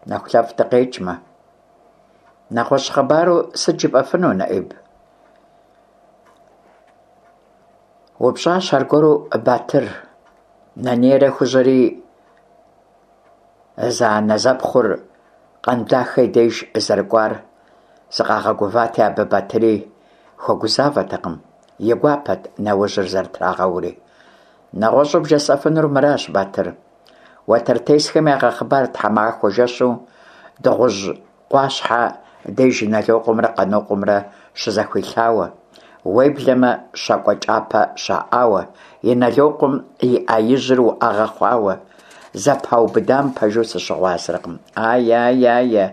нэхулъэфӀ дыкъекӀмэ. НэгъуэщӀ хъыбару сыт жыпӀэфыну, НэӀиб? УпщӀащ аргуэру Батыр. Нанейрэ Хужьэри зэанэзэпхъур Къэндахэ и деж зэрыкӀуар зыкъагъэгугъати, абы Батыри хуэгузавэртэкъым, и гуапэт нэужьыр зэрытрагъэури. НэгъуэщӀу бжесӀэфынур мыращ, Батыр. Уэтэртесхэм ягъэхъыбар тхьэмахуэ жэщу Дыгъужь къуащхьэ деж Инэлокъуэмрэ Къанокъуэмрэ щызэхуилъауэ, уеблэмэ щакӀуэ кӀапэ щаӀауэ, Инэлокъуэм и Ӏэ ижьыр уӀэгъэ хъуауэ. Зэпаубыдам пэжу сыщыгъуазэркъым. Ае, ае,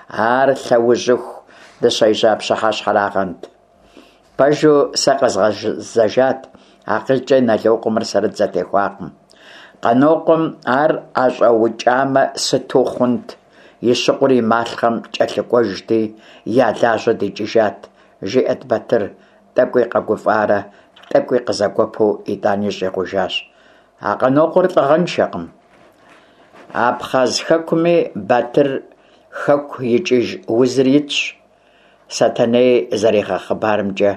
ар лъэужьыху дыщежьа пщыхьэщхьэрагъэнт. Пэжу, сэ къэзгъэзэжат, акъылкӀэ Инэлокъуэмрэ сэрэ дызэтехуакъым. Къанокъуэм ар ӀэщӀэукӀамэ, сыту хъунт, и щыкъур и малъхъэм кӀэлъыкӀуэжти, я лажьэ дикӀыжат, жиӀэрт Батыр, тӀэкӀуи къэгуфӀарэ тӀэкӀуи къызэгуэпу, итӀани щӀигъужащ: А Къанокъуэр лӀыгъэншэкъым. Абхъаз хэкуми, Батыр, хэку икӀыж узыр итщ, Сэтэней зэригъэхъыбарымкӀэ,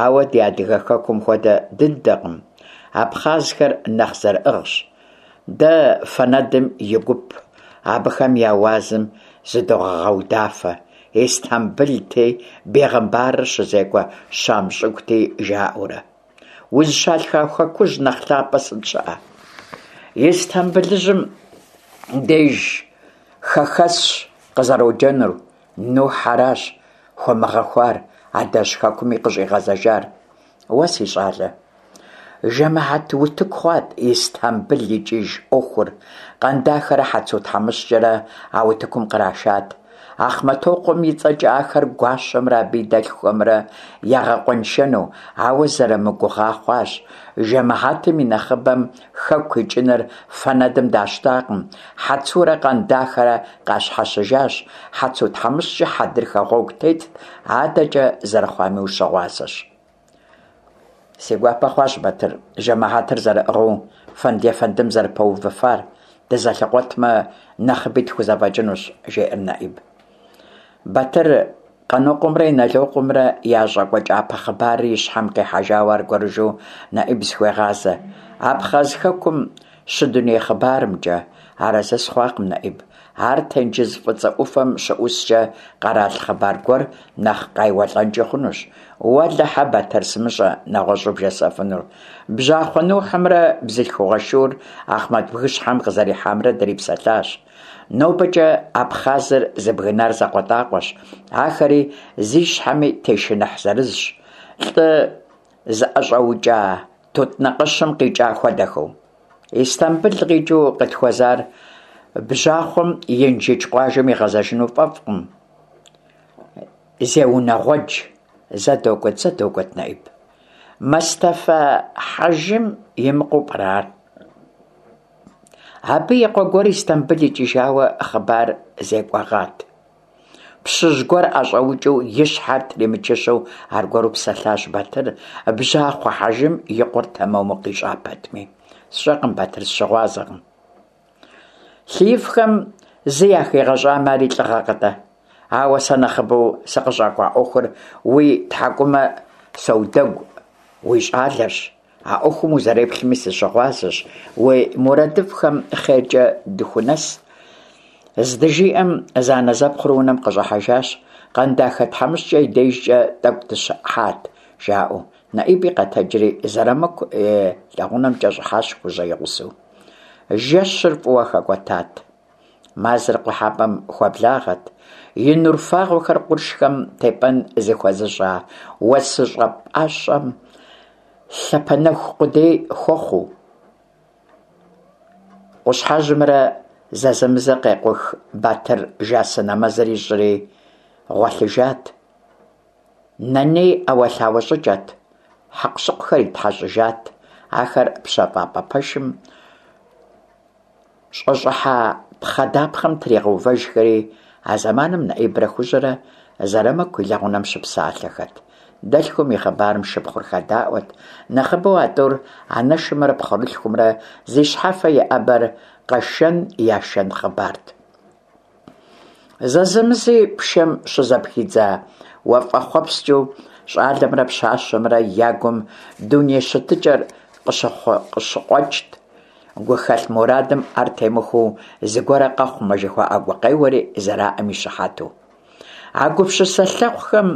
ауэ ди адыгэ хэкум хуэдэ дыдэкъым, абхъазхэр нэхъ зэрыӀыгъщ. Дэ фэнэдым и гуп абыхэм я уазым зыдогъэудафэ, Истамбылти, бегъымбарыр щызекӀуэ Щам щӀыгути, жаӀэурэ. Узыщалъхуа хэкужь нэхъ лъапӀэ сыт щыӀэ? Истамбылыжьым деж хэхэсщ къызэроджэнур, Нухь аращ хуэмыгъэхуар, адэжь хэкуми къыщӀигъэзэжар. Уэ, си щӀалэ, жэмыхьэт утыку хъуат Истамбыл икӀыж Ӏуэхур. Къэндахэрэ Хьэцу тхьэмыщкӀэрэ а утыкум кърашат. Ахъмэтокъуэм и цӀэкӀэ ахэр гуащэмрэ абы и дэлъхухэмрэ ягъэкъуэншэну, ауэ зэрамыгугъа хъуащ. Жэмыхьэтым и нэхъыбэм хэку икӀыныр фэнэдым дащтакъым, Хьэцурэ Къэндахэрэ къащхьэщыжащ, Хьэцу тхьэмыщкӀэ хьэдрыхэ гъуэгу тетт, адэкӀэ зэрыхъуами ущыгъуазэщ. Си гуапэ хъуащ, Батыр, жэмыхьэтыр зэрыӀыгъыу фэнд-ефэндым зэрыпэувыфар, дызэлъыкъуэтмэ, нэхъыби тхузэфӀэкӀынущ, жеӀэр НэӀиб. Батыр Къанокъуэмрэ Инэлокъуэмрэ я щӀакӀуэ кӀапэ хъыбарыр и щхьэм къихьэжауэ аргуэрыжьу НэӀиб зыхуегъазэ: Абхъаз хэкум щыдуней хъыбарымкӀэ. Арэзы сыхъуакъым, НэӀиб. Ар тенджыз фӀыцӀэ Ӏуфэм щыӀускӀэ къэрал хъыбар гуэр нэхъ къайуэлӀэнкӀи хъунущ. Уэлэхьэ, Батыр, сымыщӀэ нэгъуэщӀу бжесӀэфынур. Бжьахъуэ Нухьымрэ бзылъхугъэ шур Ахъмэт бгыщхьэм къызэрихьамрэ дрипсэлъащ. НобэкӀэ Абхъазыр зыбгынар закъуэтӀакъуэщ, ахэри зи щхьэми тешыныхь зырызщ, лӀы зыӀэщӀэукӀа тутнакъэщым къикӀа хуэдэхэу. Истамбыл къикӀыу къытхуэзар бжьахъуэм Инжыдж къуажэм игъэзэжыну фӀэфӀкъым, зеунэгъуэдж. Зэ догуэт, зэ догуэт, НэӀиб. Мэстэфэ-хьэжым имыкъуэу пӀэрэ ар? Абы и къуэ гуэр Истамбыл икӀыжауэ хъыбар зекӀуэгъат. Пщыжь гуэр ӀэщӀэукӀыу и щхьэр тримычыщэу аргуэру псэлъащ Батыр, бжьахъуэ хьэжым и къуэр тэмэму къищӀа пэтми. СщӀэкъым, Батыр, сыщыгъуазэкъым. Лъыифхэм зы яхигъэщӀамэ, ари лӀыгъэкъэ-тӀэ? Ауэ сэ нэхъыбэу сыкъыщӀэкӀуа Ӏуэхур уи тхьэкӀумэ соудэгу уи щӀалэрщ. А ӏуэхум узэреплъми сыщыгъуазэщ, уи мурадыфӏхэм хъеркӏэ дыхунэс, здыжиӏэм, зэанэзэпхъур унэм къыщӏыхьэжащ, Къандахэ тхьэмыщкӏэ и дежкӏэ тӏэкӏу дыщыӏат, жаӏэу. Нэӏиби къэтэджри Зэрамыку и лэгъунэмкӏэ щӏыхьащ Хужьэ и гъусэу. Жэщыр фӏыуэ хэкӏуэтат. Мазэр къухьэпӏэм хуэблагъэт, и нур фагъуэхэр къуршхэм тепӏэн зыхуэзыщӏа уэсыщӏэ пӏащӏэм лъапэнэху къудей хуэхъуу. Къущхьэжьымрэ зэзэмызэ къекъух Батыр жасы нэмэзыр ищӏри гъуэлъыжат. Нэней ӏэуэлъауэ щӏыкӏэт, хьэкъущыкъухэр итхьэщӏыжат, ахэр пщэфӏапӏэ пэшым щӏэщӏыхьа пхъэ дапхъэм тригъэувэжхэри, а зэманым Нэӏибрэ Хужьэрэ Зэрамыку и лэгъунэм щыпсалъэхэт. Дэлъхум и хъыбарым шыпхъур хэдаӏуэт. Нэхъыбэу а тӏур анэшымрэ пхъурылъхумрэ зи щхьэфэ иӏэбэр къэшэн-яшэн хъыбарт. Зэзэмызи пшэм щызэпхидза уафэхъуэпскӏыу щӏалэмрэ пщащэмрэ я гум дуней щытыкӏэр къыщыкъуэкӏт. Гухэлъ мурадым ӏэр темыхуэу зыгуэрэ къэхъумэ жыхуаӏэ гукъеуэри зэраӏэм и щыхьэту. А гупсысэ лъэхъухэм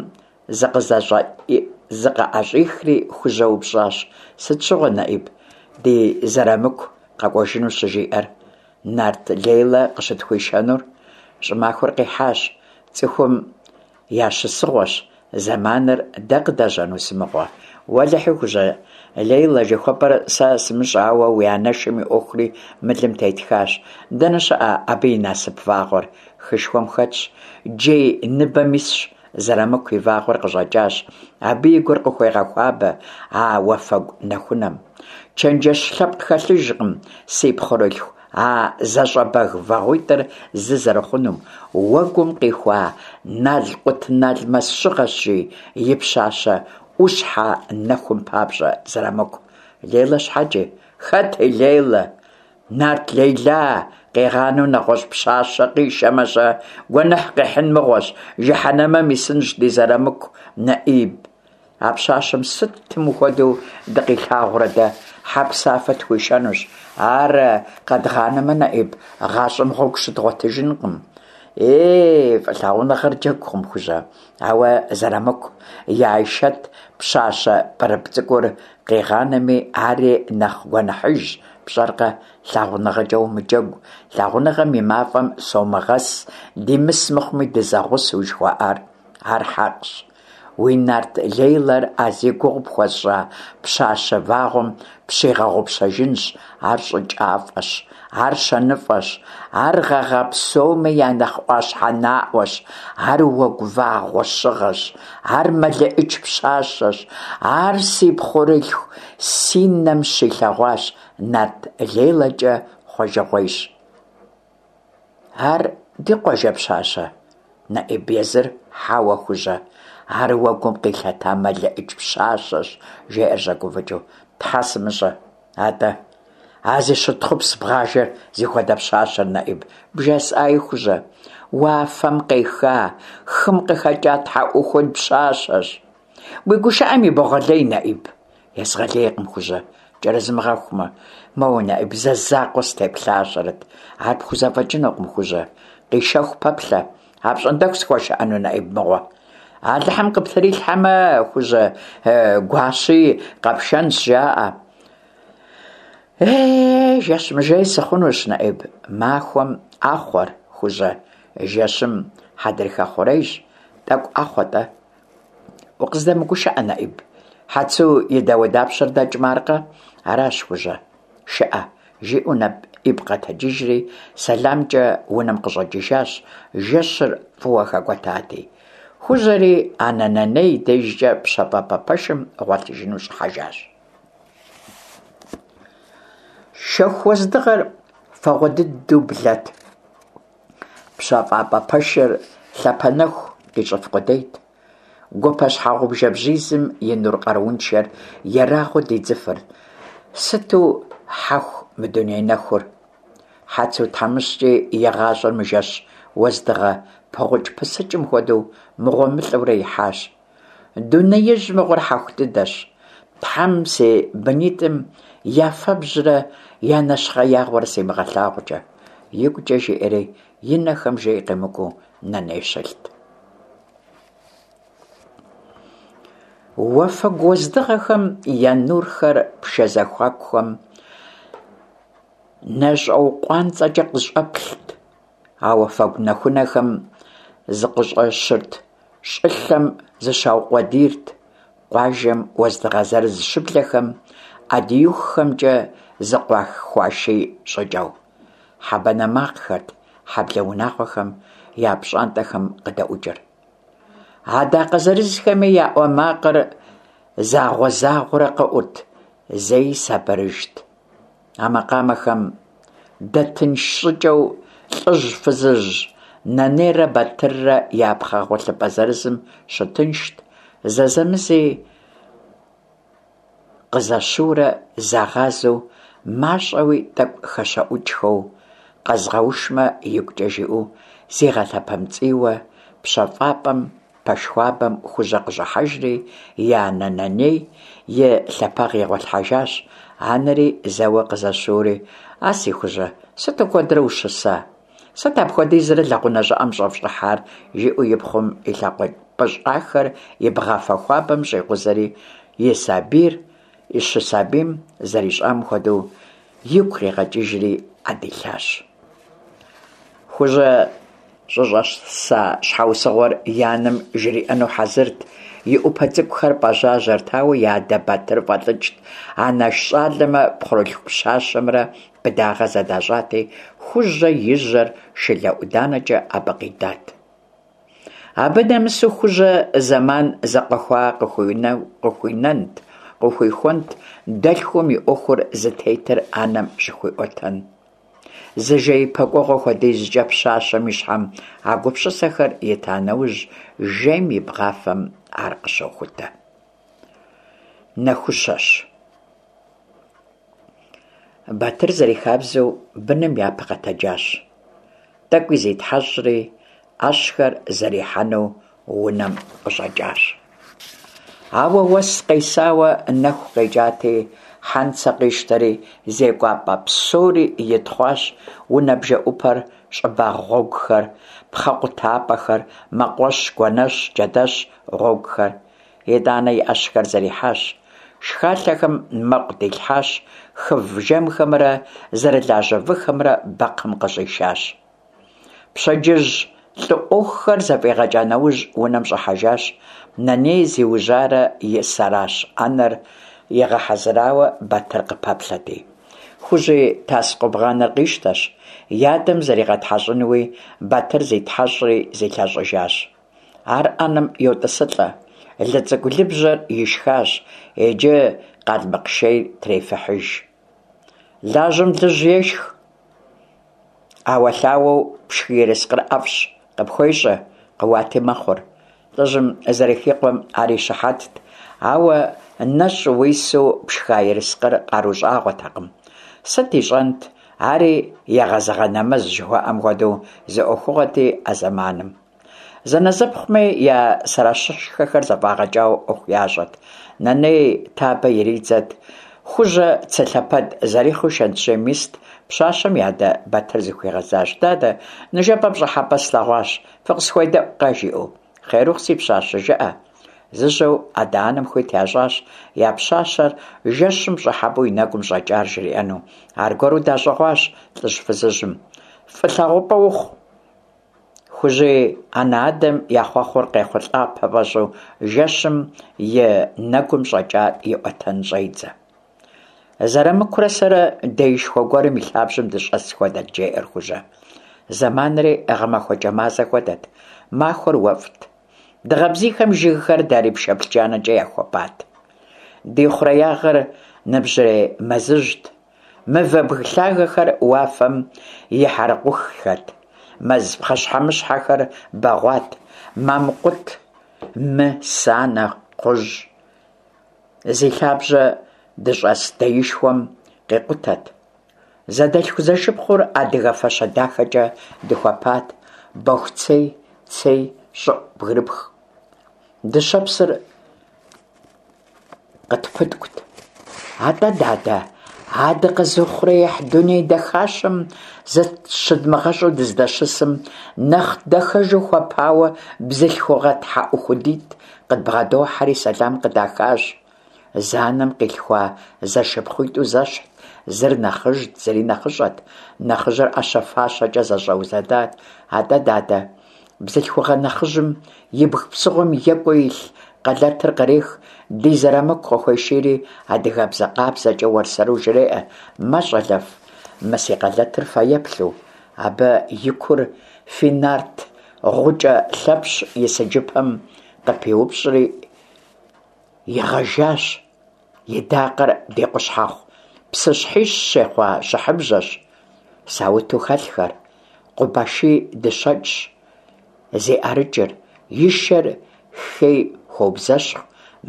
зыкъыӏэщӏихри Хужьэ упщӏащ: «Сыт щыгъуэ, Нэӏиб, ди Зэрамыку къэкӏуэжыну щыжиӏэр? Нарт Лейлэ къыщытхуишэнур? Щӏымахуэр къихьащ, цӏыхум я щысыгъуэщ, зэманыр дэ къыдэжьэну сымыгъуэ. Уэлэхьи, Хужьэ, Лейлэ жыхуэпӏэр сэ сымыщӏэ, ауэ уи анэшым и ӏуэхури мылым тетхащ. Дэнэ щыӏэ абы и насып вагъуэр? Хышхуэм хэтщ, джей ныбэм исщ. Зэрамыку и вагъуэр къыщӏэкӏащ. Абы и гур къыхуегъэхуабэ а уафэгу нэхунэм. Чэнджэщ лъэпкъ хэлъыжкъым, си пхъурылъху, а зэщӏэбэг вагъуитӏыр зы зэрыхъунум. Уэгум къихуа налкъутналмэс щыгъэщ, жи, и пщащэ ӏущхьэ нэхум папщӏэ Зэрамыку. Лейлэ щхьэкӏи? Хэт и Лейлэ? Нарт Лейла къигъанэу нэгъуэщӏ пщащэ къишэмэ-щэ, гуэныхь къихьын мыгъуэщ, жыхьэнэмэм исынщ ди Зэрамыку, Нэӏиб. А пщащэм сытым хуэдэу дыкъилъагъурэ дэ, хьэпсафэ тхуишэнущ. Ар къэдгъанэмэ, Нэӏиб, гъащӏэм гъуэгу щыдгъуэтыжынкъым. Ей, фӏылъагъуныгъэр джэгукъым, Хужьэ. Ауэ Зэрамыку и Айшэт пщащэ пӏырыпӏ цӏыкӏур къигъанэми, ари нэхъ гуэныхьыжщ, пщӏэркъэ? Лъагъуныгъэкӏэ умыджэгу, лъагъуныгъэм и мафӏэм сомыгъэс, димыс мыхъуми дызэгъусэу жыхуаӏар. Ар хьэкъщ. Уи нарт Лейлэр а зи гугъу пхуэсщӏа пщащэ вагъуэм пщигъэгъупщэжынщ, ар щӏыкӏафӏэщ, ар щэныфӏэщ, ар гъэгъа псоми я нэхъ ӏуащхьэ наӏуэщ, ар уэгу вагъуэ щыгъэщ, ар мэлэӏич пщащэщ, ар си пхъурылъху си нэм щилъэгъуащ, нарт Лейлэкӏэ хъуэжыгъуейщ. Ар ди къуажэ пщащэ, Нэӏиб езыр? Хьэуэ, Хужьэ, ар уэгум къилъэта мэлэӏич пщащэщ, жеӏэр щӏэгуфӏыкӏыу. Тхьэ сымыщӏэ, атӏэ. А зи щытхъупс бгъажэр зыхуэдэ пщащэр, Нэӏиб, бжесӏаи, Хужьэ. Уафэм къеха, хым къыхэкӏа тхьэӏухуд пщащэщ. Уи гушыӏэм ибогъэлей, Нэӏиб. Езгъэлейкъым, Хужьэ, кӏэрызмыгъэхумэ. Моуэ, Нэӏиб, зэ закъуэ сытеплъащэрэт. Ар пхузэфӏэкӏынукъым, Хужьэ. Къишэху пэплъэ. Апщӏондэху схуэшыӏэну, Нэӏиб мыгъуэ? Алыхьым къыптрилъхьэмэ, Хужьэ, гуащи къэпшэнщ, жаӏэ. Е, жэщ мыжей сыхъунущ, Нэӏиб. Махуэм ӏэхъуэр, Хужьэ, жэщым хьэдрыхэ хъурейщ. Тӏэкӏу ӏэхъуэ-тӏэ. Укъыздэмыгушыӏэ, Нэӏиб. Хьэцу и дауэдапщэр дэкӏмэ аркъэ? Аращ, Хужьэ. Шыӏэ, жиӏэу Нэӏиб къэтэджыжри, сэламкӏэ унэм къыщӏэкӏыжащ, жэщыр фӏыуэ хэкӏуэтати. Хужьэри анэ Нэней и дежкӏэ пщэфӏапӏэ пэшым гъуэлъыжыну щӏыхьэжащ. Шэху уэздыгъэр фагъуэ дыдэу блэт. ПщэфӀапӀэ пэшыр лъапэнэху къищӀыф къудейт. Гупэ щхьэгъубжэ бжьизым и нур къарууншэр ерагъыу дидзыфырт. Сыту хьэху мы дуней нэхур! Хьэцу тхьэмыщкӀи и гъащӀэр мы жэщ уэздыгъэ пыгъукӀ-пысыкӀым хуэдэу мыгъуэмылӀэурэ ихьащ. Дунеижь мыгъуэр хьэху дыдэщ. Тхьэм си бынитӀым я фэбжьрэ я нэщхъеягъуэрэ симыгъэлъагъукӀэ, – игукӀэ жиӀэри, и нэхэм жей къемыкӀуу Нэней щылът. Уафэгу уэздыгъэхэм я нурхэр пшэ зэхуакухэм нэщӀэукъуанцӀэкӀэ къыщӀэплът. А уафэгу нэхунэхэм зыкъыщӀэщырт, щӀылъэм зыщаукъуэдийрт. Къуажэм уэздыгъэ зырыз щыблэхэм ӀэдиихухэмкӀэ зыкъыхуаший щӀыкӀэу. Хьэ банэ макъхэрт хьэблэ унагъуэхэм я пщӀантӀэхэм къыдэӀукӀыр. Адакъэ зырызхэми я Ӏуэ макъыр загъуэ-загъуэурэ къэӀурт, зэи сабырыжт. А макъамэхэм дэтынш щӀыкӀэу лӀыжь-фызыжь Нэнейрэ Батыррэ я пхъэ гъуэлъыпӀэ зырызым щытыншт, зэзэмызи къызэщыурэ загъазэу, мащӀэуи тӀэкӀу хэщэӀукӀхэу, къэзгъэушмэ игукӀэ жиӀэу зигъэлъэпэмцӀийуэ, пщэфӀапӀэм пэш хуабэм Хужьэ къыщӀыхьэжри, и анэ Нэней и лъэпэгъ игъуэлъхьэжащ. Анэри зэуэ къызэщыури: «А си Хужьэ, сыту куэдрэ ущыса? Сыт апхуэдизрэ лэгъунэ щӀыӀэм щӀэфщӀыхьар?» жиӀэу и пхъум и лъакъуэ пӀыщӀахэр и бгъафэ хуабэм щӀикъузэри, и сабийр щысабийм зэрищӀам хуэдэу игу къигъэкӀыжри Ӏэ дилъащ. Хужьэ щӀыщӀэса щхьэусыгъуэр и анэм жриӀэну хьэзырт, и Ӏупэ цӀыкӀухэр пӀэжьажьэрт, ауэ и адэ Батыр фӀэлӀыкӀт. Анэш щӀалэмрэ пхъурылъху пщащэмрэ быдагъэ зэдащӀати, Хужьэ и жьэр шылэ ӀуданэкӀэ абы къидат. Абы нэмысу Хужьэ зэман зэкъуэхуа къыхуинэнт, къыхуихуэнт дэлъхум и Ӏуэхур зытетыр анэм щыхуиӀуэтэн. Зы жеипэ кӀуэгъуэ хуэдизкӀэ пщащэм и щхьэм а гупсысэхэр ита нэужь, жейм и бгъафэм ар къыщохутэ. Нэхущэщ. Батыр зэрихабзэу быным япэ къэтэджащ. ТӀэкӀуи зитхьэщӀри, Ӏэщхэр зэрихьэну унэм къыщӀэкӀащ. Ауэ уэс къесауэ нэху къекӀати, хьэнцэ къищтэри, зекӀуапӀэ псори итхъуащ: унэ бжэӀупэр, щӀыбагъ гъуэгухэр, пхъэкъутапӀэхэр, мэкъуэщ, гуэнэщ, джэдэщ гъуэгухэр. ИтӀанэ и Ӏэщхэр зэрихьащ, шхалъэхэм мэкъу дилъхьащ, хыв жэмхэмрэ зэрылажьэ выхэмрэ бэкхъым къыщӀишащ. Пщэдджыжь лӀы Ӏуэхухэр зэфӀигъэкӀа нэужь, унэм щӀыхьэжащ. Нэней зиужьарэ и сэращ Ӏэнэр игъэхьэзырауэ Батыр къыпэплъэрти. Хужьи тас-къубгъаныр къищтэщ, и адэм зригъэтхьэщӀынуи, Батыр зитхьэщӀри зилъэщӀыжащ. Ар Ӏэнэм йотӀысылӀэ, лы цӀыкӀу лыбжьэр ишхащ, иджы къалмыкъ шейр трефыхьыж. Лажьэм лыжь ешх. Ӏэуэлъауэу пшхы ерыскъыр ӀэфӀщ, къыпхуещӀэ, къыуати мэхъур. ЛӀыжьым зэрыхикъуэм ар и щыхьэтт, ауэ нэщӀ уису пшха ерыскъыр къару щӀагъуэтэкъым. Сыт ищӀэнт, ари егъэзыгъэ нэмэз жыхуаӀэм хуэдэу зы Ӏуэхугъуэти а зэманым. Зэнэзэпхъуми я сэращышхэхэр зэфӀагъэкӀауэ Ӏуэху ящӀэрт. Нэней табэ иридзэрт, Хужьэ цылъэпэд зэрихъэу шэнтжьейм ист. Пщащэм и адэ Батыр зыхуигъэзащ: «Дадэ, ныжэбэ пщӀыхьэпӀэ слъэгъуащ, фыкъысхуедэӀукъэ», жиӀэу. «Хъер ухъу, си пщащэ, жыӀэ». Зыжьэу адэ-анэм хуит ящӀащ я пщащэр жэщым пщӀыхьэпӀэу и нэгум щӀэкӀар жриӀэну. Аргуэру дащӀыгъуащ лӀыжь-фызыжьым. «ФӀы лъагъупӀэ ухъу!» Хужьи анэ-адэм я хъуэхъур къехъулӀапэ фӀэщӀу, жэщым и нэгум щӀэкӀар иӀуэтэн щӀедзэ. Зэрамыкурэ сэрэ деишхуэ гуэрым и лъабжьэм дыщӀэс хуэдэт, жеӀэр Хужьэ. Зэманри гъэмахуэкӀэ мазэ хуэдэт, махуэр уэфӀт. Дыгъэ бзийхэм жыгхэр дарий пшэплъ джанэкӀэ яхуэпат. Ди хъуреягъыр ныбжьрей мэзыжьт. Мывэ бгы лъагэхэр уафэм и хьэрыкъуххэт. Мэз пхъэщхьэмыщхьэхэр бэгъуат: мамкъут, мы, санэ, кхъужь. Зи лъабжьэ дыщӀэс деишхуэм къикъутэт. Зэдэлъху-зэшыпхъур адыгэ фащэ дахэкӀэ дыхуэпат: бохуцей, цей, щӀыӀу бгырыпх. Дыщэпсыр къытпыткӏут. Атӏэ, дадэ, а дыкъэзыухъуреихь дуней дахащэм зыщыдмыгъэщӏу дыздэщысым, нэхъ дахэжу хуэпауэ бзылъхугъэ тхьэӏухудитӏ къыдбгъэдохьэри сэлам къыдахащ. Зы анэм къилъхуа зэшыпхъуитӏу зэщхьт, зыр нэхъыжьт, зыри нэхъыщӏэт. Нэхъыжьыр ӏэщэ-фащэкӏэ зэщӏэузэдат. Атӏэ, дадэ, бзылъхугъэ нэхъыжьым ибг псыгъуэм екӏуу илъ къэлэтыр кърех, ди Зырамыку къыхуешийри, адыгэбзэ къабзэкӏэ уэрсэру жреӏэ: «Мэ, щӏалэфӏ, мы си къэлэтыр фэеплъу, абы и кур фи нарт гъукӏэ Лъэпщ и сыджыпэм къыпиупщӏри игъэжащ, и дакъэр ди къущхьэхъу псыщхьищ щехъуа щыхьыбжьэщ, сауту хэлъхэр, Къубаший дыщэкӏщ зи ӏэрыкӏыр, и шэр хей хуоубзэщхъу,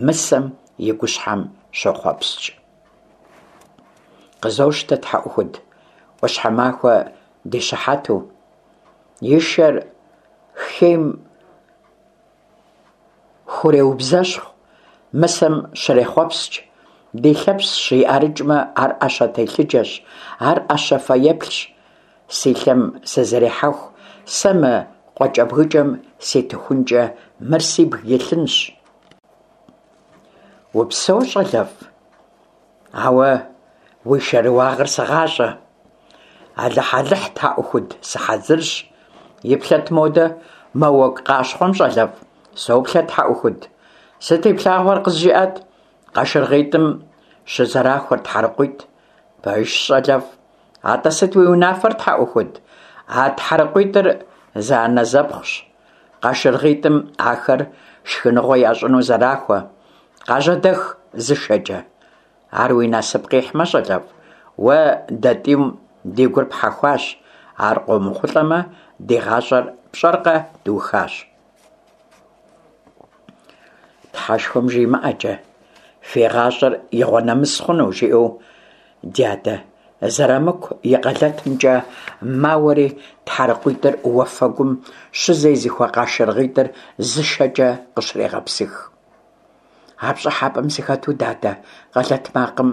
мысэм и гущхьэм щохъуэпскӏ». Къызощтэ, тхьэӏухуд, ӏуащхьэмахуэ ди щыхьэту, и шэр хейм хуреубзэщхъу, мысэм щрехъуэпскӏ, ди Лъэпщ и ӏэрыкӏмэ, ар ӏэщэ телъыджэщ, ар ӏэщэ фэеплъщ. Си лъэм сызэрехьэху, сэ мы къуакӏэбгыкӏэм ситыхункӏэ мыр сибг илъынщ. Упсэу, щӏалэфӏ, ауэ уи шэрыуагъыр сыгъащӏэ. Алыхь-алыхь, тхьэӏухуд, сыхьэзырщ. Иплъэт модэ, мо уэгу къащхъуэм, щӏалэфӏ, соплъэ, тхьэӏухуд. Сыт иплъагъуэр къызжиӏэт? Къашыргъитӏым щызэрахуэр тхьэрыкъуитӏ. Пэжщ, щӏалэфӏ. Атӏэ сыт уи унафэр, тхьэӏухуд? А тхьэрыкъуитӏыр зэанэзэпхъущ. Къашыргъитӏым ахэр шхыныгъуэ ящӏыну зэрахуэ. Къажьэдэх зы шэкӏэ. Ар уи насып къихьмэ, щӏалэфӏ, уэ дэ тӏум ди гур пхьэхуащ, ар къомыхъулӏэмэ, ди гъащӏэр пщӏэркъэ, дыухащ. Тхьэшхуэм жимыӏэкӏэ, фи гъащӏэр игъуэнэмыс хъуну, жиӏэу дядэ, Зырамыку и къэлэтымкӏэ мауэри тхьэрыкъуитӏыр уафэгум щызезыхуэ къашыргъитӏыр зы шэкӏэ къыщрегъэпсых. А пщӏыхьэпӏэм сыхэту, дадэ, къэлэт макъым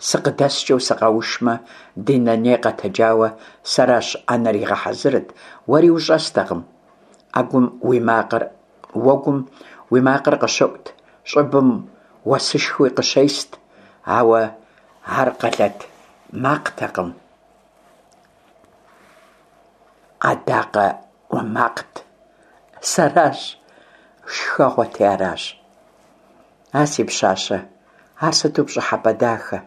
сыкъыдэскӏэу сыкъэушмэ, ди нэней къэтэджауэ сэращ ӏэнэр игъэхьэзырыт, уэри ущӏэстэкъым. Ӏэгум уи макъыр, уэгум уи макъыр къыщыӏут, щӏыбым уэсышхуи къыщест, ауэ ар къэлэт макътэкъым, ӏэдакъэ ӏуэ макът. Сэращ, шхэгъуэти аращ. А си пщащэ, ар сыту пщӏыхьэпӏэ дахэ,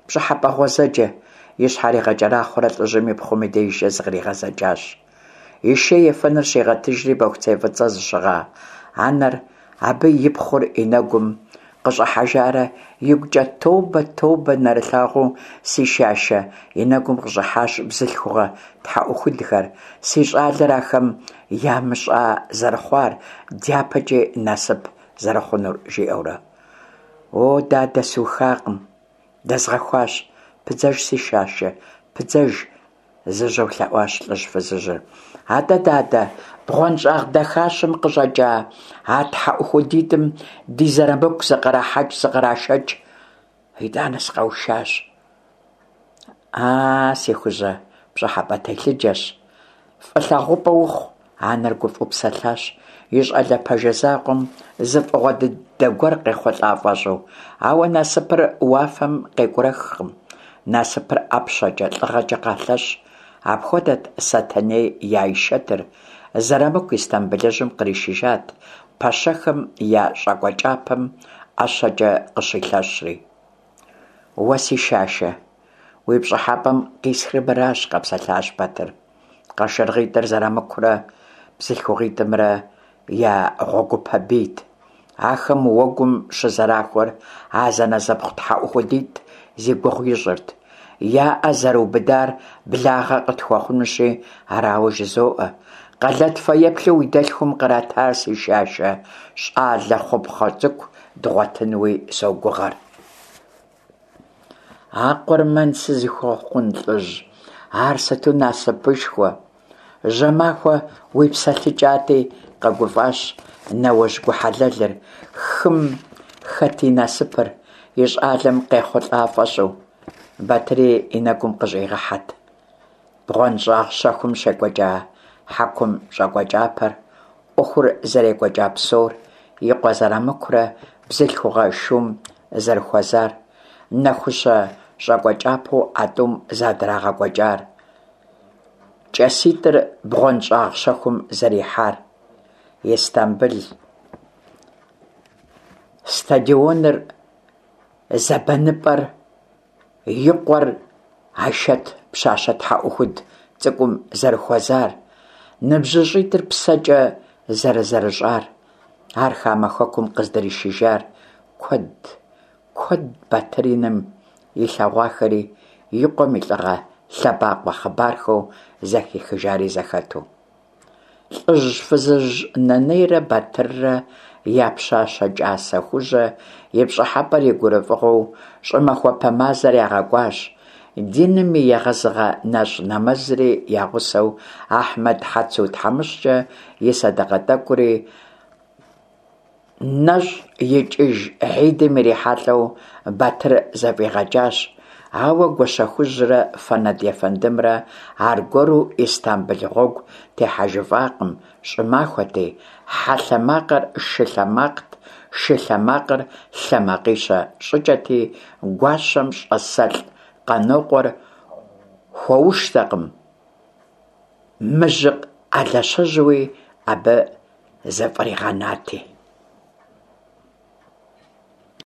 пщӏыхьэпӏэ гъуэзэджэ, и щхьэр игъэкӏэрахъуэрэ лӏыжьым и пхъум и дежкӏэ зыкъригъэзэкӏащ. И шей ефэныр щигъэтыжри бохуцей фӏыцӏэ зыщыгъа анэр, абы и пхъур и нэгум къыщӏыхьэжарэ игукӏэ тобэ, тобэ, нэрылъагъуу си шашэ и нэгум къыщӏыхьащ бзылъхугъэ тхьэӏухудхэр, си щӏалэр ахэм ямыщӏа зэрыхъуар, дяпэкӏи насып зэрыхъунур, жиӏэурэ. О, дадэ, сухакъым, дэзгъэхуащ, пыдзэж си шашэ, пыдзэж, зыжьэу лъэӏуащ лӏыжь фызыжьыр. Атӏэ, дадэ, бгъуэнщӏагъ дахащэм къыщӏэкӏа а тхьэӏухудитӏым ди Зырамыку зыкърахьэкӏ, зыкърашэкӏ. Итӏанэ сыкъэушащ. А, си хужьэ, пщӏыхьэпӏэ телъыджэщ. Фӏы лъагъупӏэ ухъу, анэр гуфӏэу псэлъащ, и щӏалэ пэжэ закъуэм зы фӏыгъуэ дыдэ гуэр къехъулӏа фӏэщӏу. Ауэ насыпыр уафэм къекӏурэхкъым. Насыпыр ӏэпщэкӏэ, лӏыгъэкӏэ къалъэщ. Апхуэдэт Сэтэней и Айшэтыр. Зырамыку Истамбылыжьым къришыжат, пэщэхэм я щӏакӏуэ кӏапэм ӏэщэкӏэ къыщилъэщри. Уэ си шашэ, уи пщӏыхьэпӏэм къисхыр мыращ, къэпсэлъащ Батыр. Къашыргъитӏыр Зырамыкурэ бзылъхугъитӏымрэ я гъуэгупэ бийт. Ахэм уэгум щызэрахуэр а зэнэзэпхъу тхьэӏухудитӏ зи гугъу ищӏырт. Я ӏэ зэрыубыдар благъэ къытхуэхъунущи, арауэ жызоӏэ. Къэлэт фэеплъу уи дэлъхум къратар, си шашэ, щӏалэ хъупхъэ цӏыкӏу дгъуэтынуи согугъэр. А къурмэн сызыхуэхъун лӏыжь, ар сыту насыпышхуэ. Жьэмахуэ уипсэлъыкӏати, къэгуфӏащ нэуэжь гу хьэлэлыр, хым хэт и насыпыр, и щӀалэм къехъулӀа фӀэщӀу. Батыри и нэгум къыщӀигъэхьэрт бгъуэнщӀагъ щэхум щекӀуэкӀа хьэкум щӀакӀуэ кӀапэр, Ӏуэхур зэрекӀуэкӀа псор, и къуэ Зырамыкурэ бзылъхугъэ шум зэрыхуэзар, нэхущэ щӀакӀуэ кӀапэу а тӀум задрагъэкӀуэкӀар, кӀаситӀыр бгъуэнщӀагъ щэхум зэрихьар, Истамбыл стадионыр, зэбэныпӀэр, и къуэр Айшэт пщащэ тхьэӀухуд цӀыкӀум зэрыхуэзар, ныбжьыщӀитӀыр псэкӀэ зэрызэрыщӀар, ар хамэ хэкум къыздришыжар – куэдт, куэдт Батыр и нэм илъэгъуахэри, и къуэм и лӀыгъэ лъэбакъуэ хъыбархэу зэхихыжари зэхэту. ЛӀыжь-фызыжь Нэнейрэ Батыррэ я пщащэ кӀасэ Хужьэ и пщӀыхьэпӀэр и гурыфӀыгъуэу щӀымахуэпэ мазэр ягъэкӀуащ, диным и егъэзыгъэ нэщӀ нэмэзри я гъусэу, Ахьмэд Хьэцу тхьэмыщкӀэ и сэдэкъэ тӀэкӀури нэщӀ икӀыж хьидым ирихьэлӀэу Батыр зэфӀигъэкӀащ, ауэ Гуащэхужьрэ Фэнэд ефэндымрэ аргуэру Истамбыл гъуэгу техьэжыфӀакъым – щӀымахуэти, хьэ лъэ макъыр шы лъэ макът, шы лъэ макъыр лъэ макъищэ щӀыкӀэти, гуащэм щӀасэлӀ Къанокъуэр хуэуштэкъым, мыжьыкъ алащэжьуи абы зыфӀригъэнати.